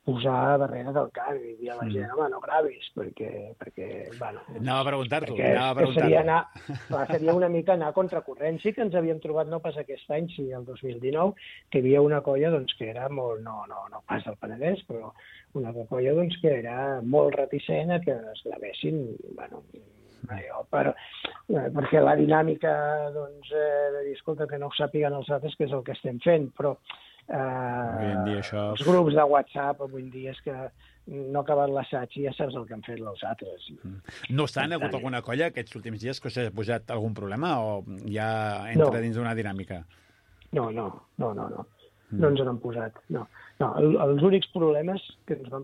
posar darrere del carro i dir a la gent, home, no gravis, perquè... perquè bueno, anava a preguntar-t'ho, perquè, anava a preguntar-t'ho. Seria, anar, clar, seria una mica anar a contracorrent. Sí que ens havíem trobat, no pas aquest any, sí el dos mil dinou, que hi havia una colla doncs, que era molt, no, no, no pas del Penedès, però una colla doncs, que era molt reticent a que es gravessin, bueno, allò, per, eh, perquè la dinàmica doncs, eh, de dir, escolta, que no ho sàpiguen els altres, que és el que estem fent, però eh, avui en dia això... els grups de WhatsApp avui en dia és que no ha acabat l'assaig i ja saps el que han fet els altres. No obstant, ha hagut alguna colla aquests últims dies que us ha posat algun problema o ja entra no. dins d'una dinàmica? No, no, no, no, no. No ens n'han posat, no. no el, els únics problemes, que ens van,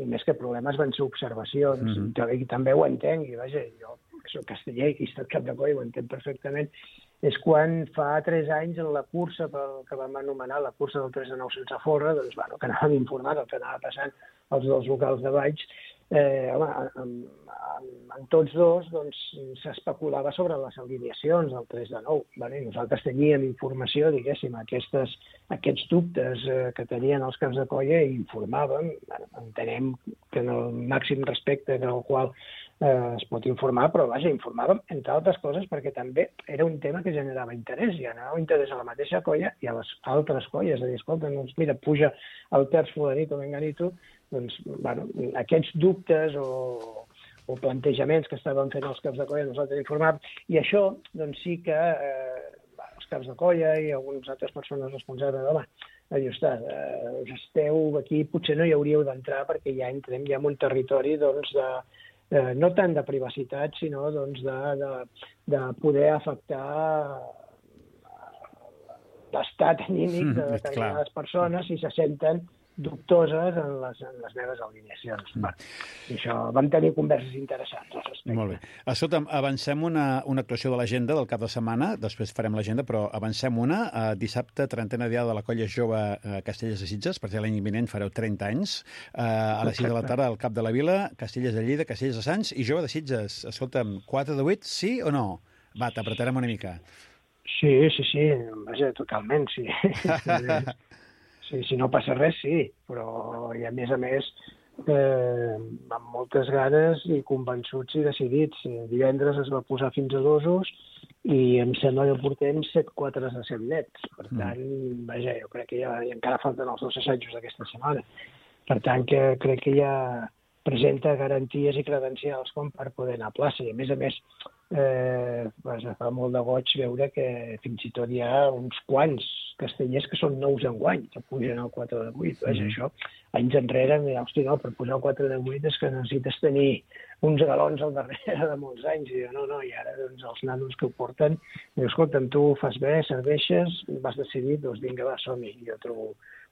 i més que problemes, van ser observacions, mm -hmm. i també ho entenc, i vaja, jo que soc casteller i que he estat cap de coll, ho entenc perfectament, és quan fa tres anys en la cursa pel que vam anomenar la cursa del tres de nou sense forra, doncs, bueno, que anàvem informant el que anava passant als dos locals de Valls, eh, home, en, en, en tots dos doncs, s'especulava sobre les alineacions del tres de nou. Vale? I nosaltres teníem informació, diguéssim, aquestes, aquests dubtes eh, que tenien els caps de colla i informàvem. Bueno, entenem que en el màxim respecte en el qual eh, es pot informar, però vaja, informàvem, entre altres coses, perquè també era un tema que generava interès, i generava interès a la mateixa colla i a les altres colles. És a dir, escolta, doncs mira, puja el terç fulanito, menganito, doncs, bueno, aquests dubtes o, o plantejaments que estaven fent els caps de colla nosaltres informàvem, i això, doncs sí que eh, els caps de colla i algunes altres persones responsables, home, dius, eh, esteu aquí, potser no hi hauríeu d'entrar perquè ja entrem ja en un territori, doncs, de, eh, no tant de privacitat, sinó doncs, de, de, de poder afectar l'estat anímic de determinades persones si se senten dubtoses en les, en les meves alineacions. Mm. Bueno, i això, vam tenir converses interessants al respecte. Molt bé. Escolta'm, avancem una, una actuació de l'agenda del cap de setmana, després farem l'agenda, però avancem una. Uh, dissabte, trentena diada de la Colla Jove uh, Castellers de Sitges, perquè l'any vinent fareu trenta anys. Uh, a les sis de la tarda al Cap de la Vila, Castellers de Lleida, Castellers de Sants i Jove de Sitges. Escolta'm, quatre de vuit, sí o no? Va, t'apretarem una mica. Sí, sí, sí, vaja, totalment, sí. Sí, si no passa res, sí, però i a més a més eh, amb moltes ganes i convençuts i decidits. Divendres es va posar fins a dosos i em sembla que portem set quatres de set nets. Per tant, mm. vaja, jo crec que ja encara falten els dos assajos d'aquesta setmana. Per tant, que crec que ja presenta garanties i credencials com per poder anar a plaça. I a més a més, eh, vaja, fa molt de goig veure que fins i tot hi ha uns quants castellers que són nous enguany, que pugen al quatre de vuit. Vaja, mm. això, anys enrere, hosti, no, per pujar al quatre de vuit és que necessites tenir uns galons al darrere de molts anys. I jo, no, no, i ara doncs, els nanos que ho porten, diu, escolta'm, tu ho fas bé, serveixes, vas decidir, doncs vinga, va, som-hi. Jo trobo,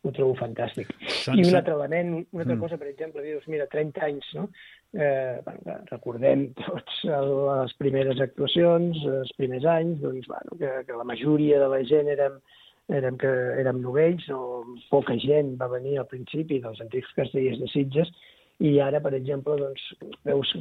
ho trobo fantàstic. Són... I un altre element, una altra mm. cosa, per exemple, dius, mira, trenta anys, no? Eh, bueno, recordem tots les primeres actuacions, els primers anys, doncs, bueno, que, que la majoria de la gent érem érem, que érem novells, o poca gent va venir al principi dels antics castellers de Sitges, i ara, per exemple, doncs, veus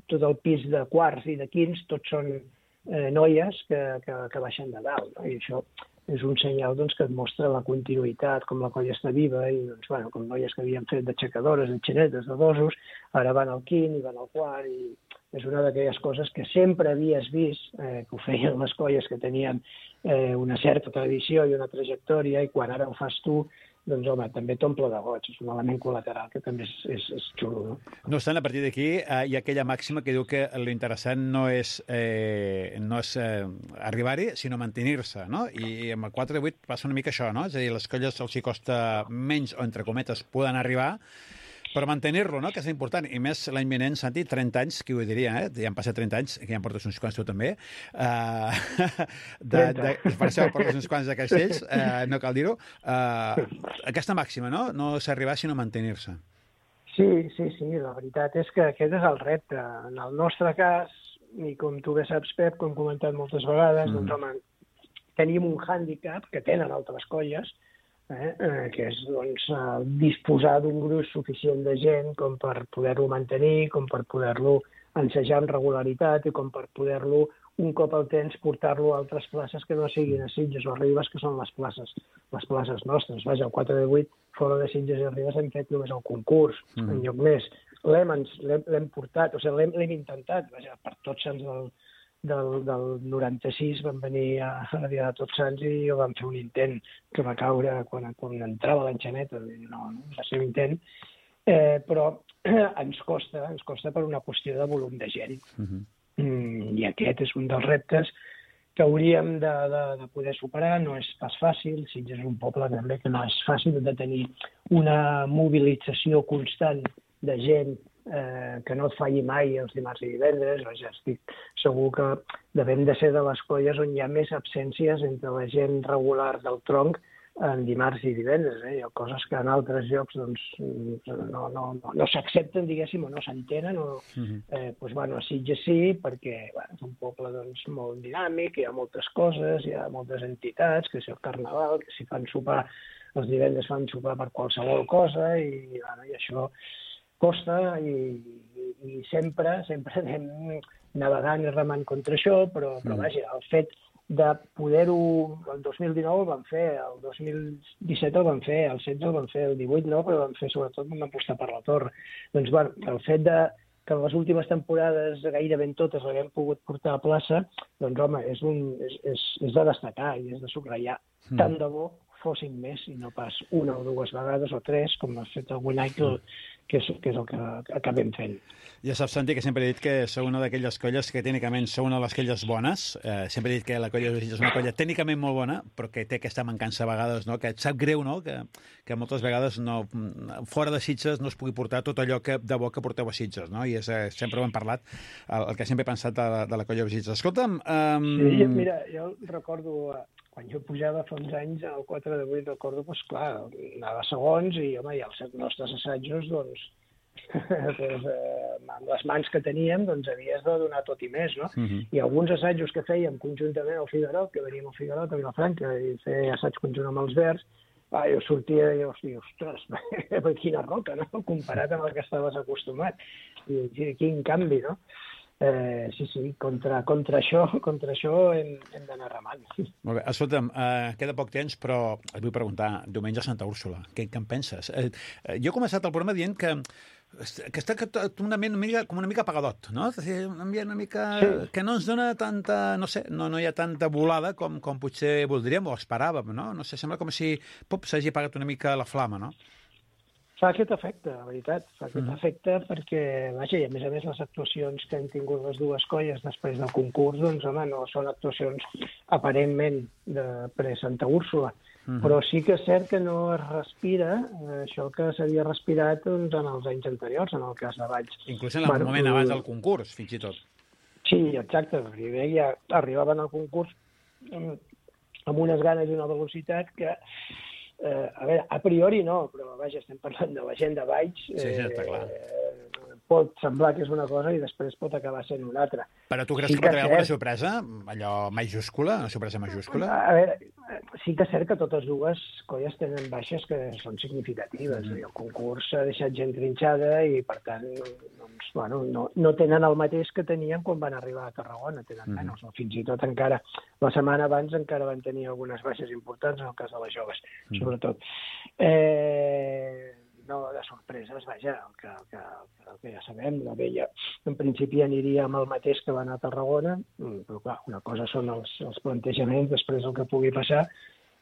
tot el pis de quarts i de quints, tots són eh, noies que, que, que baixen de dalt, no? I això és un senyal doncs, que et mostra la continuïtat, com la colla està viva, i doncs, bueno, com noies que havien fet d'aixecadores, de xinetes, de dosos, ara van al quint i van al quart, i és una d'aquelles coses que sempre havies vist, eh, que ho feien les colles que tenien eh, una certa tradició i una trajectòria, i quan ara ho fas tu, doncs, home, també t'omple de goig. És un element col·lateral que també és, és, és xulo, no? No obstant, a partir d'aquí eh, hi ha aquella màxima que diu que l'interessant no és, eh, no és eh, arribar-hi, sinó mantenir-se, no? I amb el quatre de vuit passa una mica això, no? És a dir, les colles els hi costa menys, o entre cometes, poden arribar, però mantenir-lo, no?, que és important. I més l'any vinent, Santi, trenta anys, qui ho diria, eh? Ja han passat trenta anys, que ja en portes uns quants tu també. Uh, de, de, per això portes uns quants de castells, uh, no cal dir-ho. Uh, aquesta màxima, no? No s'arribar, sinó mantenir-se. Sí, sí, sí, la veritat és que aquest és el repte. En el nostre cas, i com tu bé saps, Pep, com hem comentat moltes vegades, mm. doncs, home, tenim un hàndicap que tenen altres colles, eh, eh, que és doncs, eh, disposar d'un gruix suficient de gent com per poder-lo mantenir, com per poder-lo ensejar amb regularitat i com per poder-lo, un cop al temps, portar-lo a altres places que no siguin a Sitges o a Ribes, que són les places, les places nostres. Vaja, el quatre de vuit, fora de Sitges i Ribes, hem fet només el concurs, mm. en lloc més. L'hem, l'hem portat, o sigui, l'hem intentat, vaja, per Tots Sants del, del, del noranta-sis vam venir a, a la dia de Tots Sants i vam fer un intent que va caure quan, quan entrava l'enxaneta, no, no, va ser un intent, eh, però eh, ens costa, ens costa per una qüestió de volum de gent. Mm-hmm. Mm, i aquest és un dels reptes que hauríem de, de, de poder superar. No és pas fàcil, Sitges és un poble també que no és fàcil de tenir una mobilització constant de gent eh, que no et falli mai els dimarts i divendres. Ja estic segur que devem de ser de les colles on hi ha més absències entre la gent regular del tronc en dimarts i divendres. Eh? Hi ha coses que en altres llocs doncs, no, no, no, no s'accepten, diguéssim, o no s'entenen. O, eh, doncs, bueno, a Sitges sí, perquè bueno, és un poble doncs, molt dinàmic, hi ha moltes coses, hi ha moltes entitats, que si el carnaval, que si fan sopar, els divendres fan sopar per qualsevol cosa, i, bueno, i això costa, i, i, i sempre, sempre anem navegant i remant contra això, però, però vaja, el fet de poder-ho, el dos mil dinou el vam fer, el dos mil disset el vam fer, el setze el vam fer, el divuit no, però vam fer sobretot vam apostar per la torre. Doncs bueno, el fet de que en les últimes temporades gairebé en totes l'haguem pogut portar a plaça, doncs home, és, un, és, és, és de destacar i és de subratllar. Mm. Tant de bo fossin més i no pas una o dues vegades o tres, com ha fet algun any que, que, és, que és el que acabem fent. Ja saps, Santi, que sempre he dit que sou una d'aquelles colles que tècnicament sou una de les colles bones. Eh, sempre he dit que la colla de Sitges és una colla tècnicament molt bona, però que té aquesta mancança a vegades, no? Que et sap greu, no? Que, que moltes vegades no, fora de Sitges no es pugui portar tot allò que, de bo que porteu a Sitges, no? I és, eh, sempre ho hem parlat, el, el que sempre he pensat de, de la colla de Sitges. Escolta'm... Um... Sí, mira, jo recordo... Quan jo pujava fa uns anys al quatre de vuit, recordo, doncs clar, anava segons i, home, i els nostres assajos, doncs, doncs eh, amb les mans que teníem, doncs havies de donar tot i més, no? Uh-huh. I alguns assajos que fèiem conjuntament al Figuerot, que veníem al Figuerot, a Vilafranca, i fer assaig conjunt amb els Verds, ah, jo sortia i jo, ostres, quina roca, no? Comparat amb el que estaves acostumat. I quin canvi, no? Eh, sí, sí, contra, contra això, contra això hem, hem d'anar remant. Molt bé, escolta'm, eh, queda poc temps, però et vull preguntar, diumenge a Santa Úrsula, què, què en penses? Eh, jo he començat el programa dient que, que està un ambient una mica, com una mica apagadot, no? Un ambient una mica sí. que no ens dona tanta, no sé, no, no hi ha tanta volada com, com potser voldríem o esperàvem, no? No sé, sembla com si s'hagi apagat una mica la flama, no? Fa aquest efecte, la veritat, fa aquest mm. efecte perquè, vaja, i a més a més les actuacions que han tingut les dues colles després del concurs, doncs, home, no són actuacions aparentment de pre-Santa Úrsula, mm. però sí que és cert que no es respira eh, això que s'havia respirat doncs, en els anys anteriors, en el cas de Valls. Inclús en el bueno, moment abans del concurs, fins i tot. Sí, exacte, perquè ja arribaven al concurs amb, amb unes ganes i una velocitat que... Eh, a veure, a priori no, però vaja, estem parlant de la gent de Valls. Sí, sí, està clar. Eh, pot semblar que és una cosa i després pot acabar sent una altra. Però tu creus sí que pot haver alguna sorpresa? Allò majúscula? Una sorpresa majúscula? A veure, sí que és cert que totes dues colles tenen baixes que són significatives. Mm. El concurs s'ha deixat gent trinxada i, per tant, doncs, bueno, no, no tenen el mateix que tenien quan van arribar a Tarragona, tenen mm. menys. No? Fins i tot encara, la setmana abans encara van tenir algunes baixes importants, en el cas de les joves, mm. sobretot. Eh... No, de sorpreses, vaja, el que, el, que, el que ja sabem, la vella en principi aniria amb el mateix que va anar a Tarragona, però clar, una cosa són els, els plantejaments, després el que pugui passar,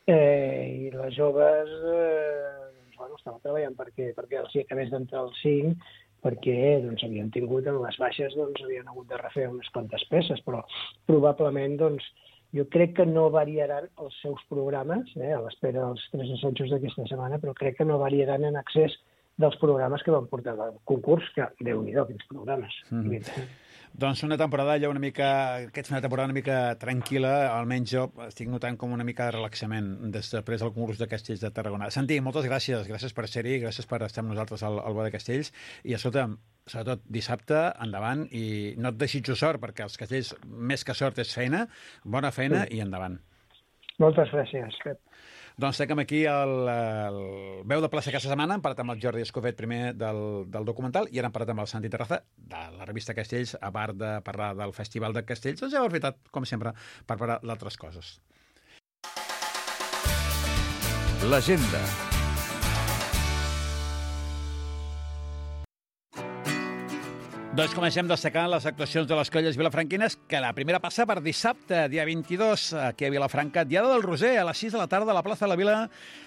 eh, i les joves eh, doncs, bueno, estaven treballant perquè, perquè els acabés d'entrar al cinc, perquè doncs, havien tingut en les baixes, doncs, havien hagut de refer unes quantes peces, però probablement doncs, jo crec que no variaran els seus programes, eh, a l'espera dels tres assajos d'aquesta setmana, però crec que no variaran en accés dels programes que van portar al concurs, que Déu-n'hi-do, quins programes. Mm-hmm. Doncs una temporada ja una mica... Aquesta una temporada una mica tranquil·la, almenys jo estic notant com una mica de relaxament després del concurs de Castells de Tarragona. Santi, moltes gràcies, gràcies per ser-hi, gràcies per estar amb nosaltres al, al Bo de Castells, i escolta, sobretot dissabte, endavant, i no et desitjo sort, perquè els castells, més que sort, és feina, bona feina sí. i endavant. Moltes gràcies, Pep. Doncs tenim aquí el, el veu de plaça aquesta setmana. Hem parlat amb el Jordi Escofet primer del, del documental i ara hem parlat amb el Santi Terraza de la revista Castells, a part de parlar del Festival de Castells. Doncs ja ho he fet, com sempre, per parlar d'altres coses. L'agenda. Doncs comencem destacant les actuacions de les colles vilafranquines, que la primera passa per dissabte, dia vint-i-dos, aquí a Vilafranca, Diada del Roser, a les sis de la tarda a la plaça de la Vila,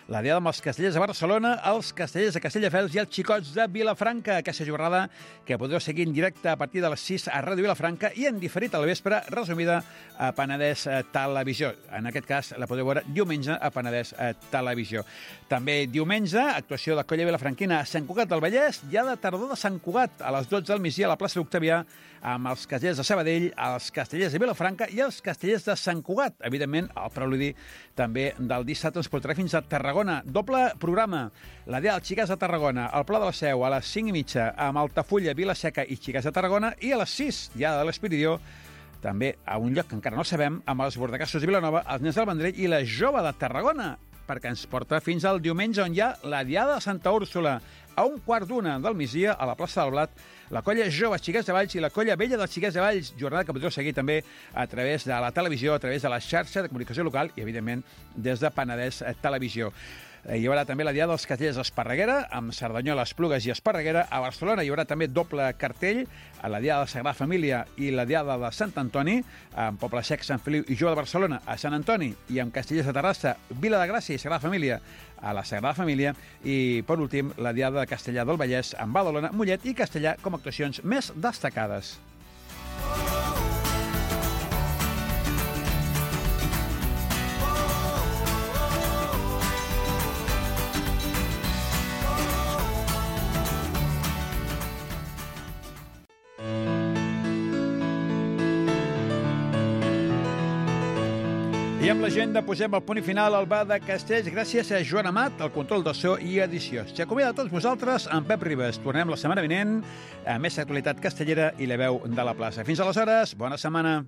la Diada amb els castellers de Barcelona, els castellers de Castelldefels i els xicots de Vilafranca. Aquesta jornada que podreu seguir en directe a partir de les sis a Ràdio Vilafranca i en diferit al vespre, resumida a Penedès Televisió. En aquest cas la podeu veure diumenge a Penedès Televisió. També diumenge, actuació de colla vilafranquina a Sant Cugat del Vallès, Diada tardor de Sant Cugat, a les dotze del migdia a la plaça d'Octavià, amb els castellers de Sabadell, els castellers de Vilafranca i els castellers de Sant Cugat. Evidentment, el preludi també del dissabte ens portarà fins a Tarragona. Doble programa. La Diada dels Xiquets de Tarragona, al Pla de la Seu, a les cinc i mitja, amb Altafulla, Vila-seca i Xiquets de Tarragona, i a les sis, Diada de l'Espiridió, també a un lloc que encara no sabem, amb els Bordecassos de Vilanova, els Nens del Vendrell i la Jove de Tarragona, perquè ens porta fins al diumenge, on hi ha la Diada de Santa Úrsula, a un quart d'una del migdia, a la plaça del Blat, la colla Jove Xiquets de Valls i la colla Vella dels Xiquets de Valls, jornada que podreu seguir també a través de la televisió, a través de la xarxa de comunicació local i, evidentment, des de Penedès Televisió. Hi haurà també la Diada dels Castellers d'Esparreguera, amb Cerdanyola, Esplugues i Esparreguera. A Barcelona hi haurà també doble cartell, a la Diada de Sagrada Família i la Diada de Sant Antoni, amb Poble Sec, Sant Feliu i Jove de Barcelona a Sant Antoni, i amb Castellers de Terrassa, Vila de Gràcia i Sagrada Família a la Sagrada Família, i, per últim, la Diada de Castellà del Vallès amb Badalona, Mollet i Castellà com a actuacions més destacades. I amb l'agenda posem el punt i final al bar de Castells gràcies a Joan Amat, el control de so i edició. S'acomiada a tots vosaltres amb Pep Ribas. Tornem la setmana vinent a més actualitat castellera i la veu de la plaça. Fins aleshores, bona setmana.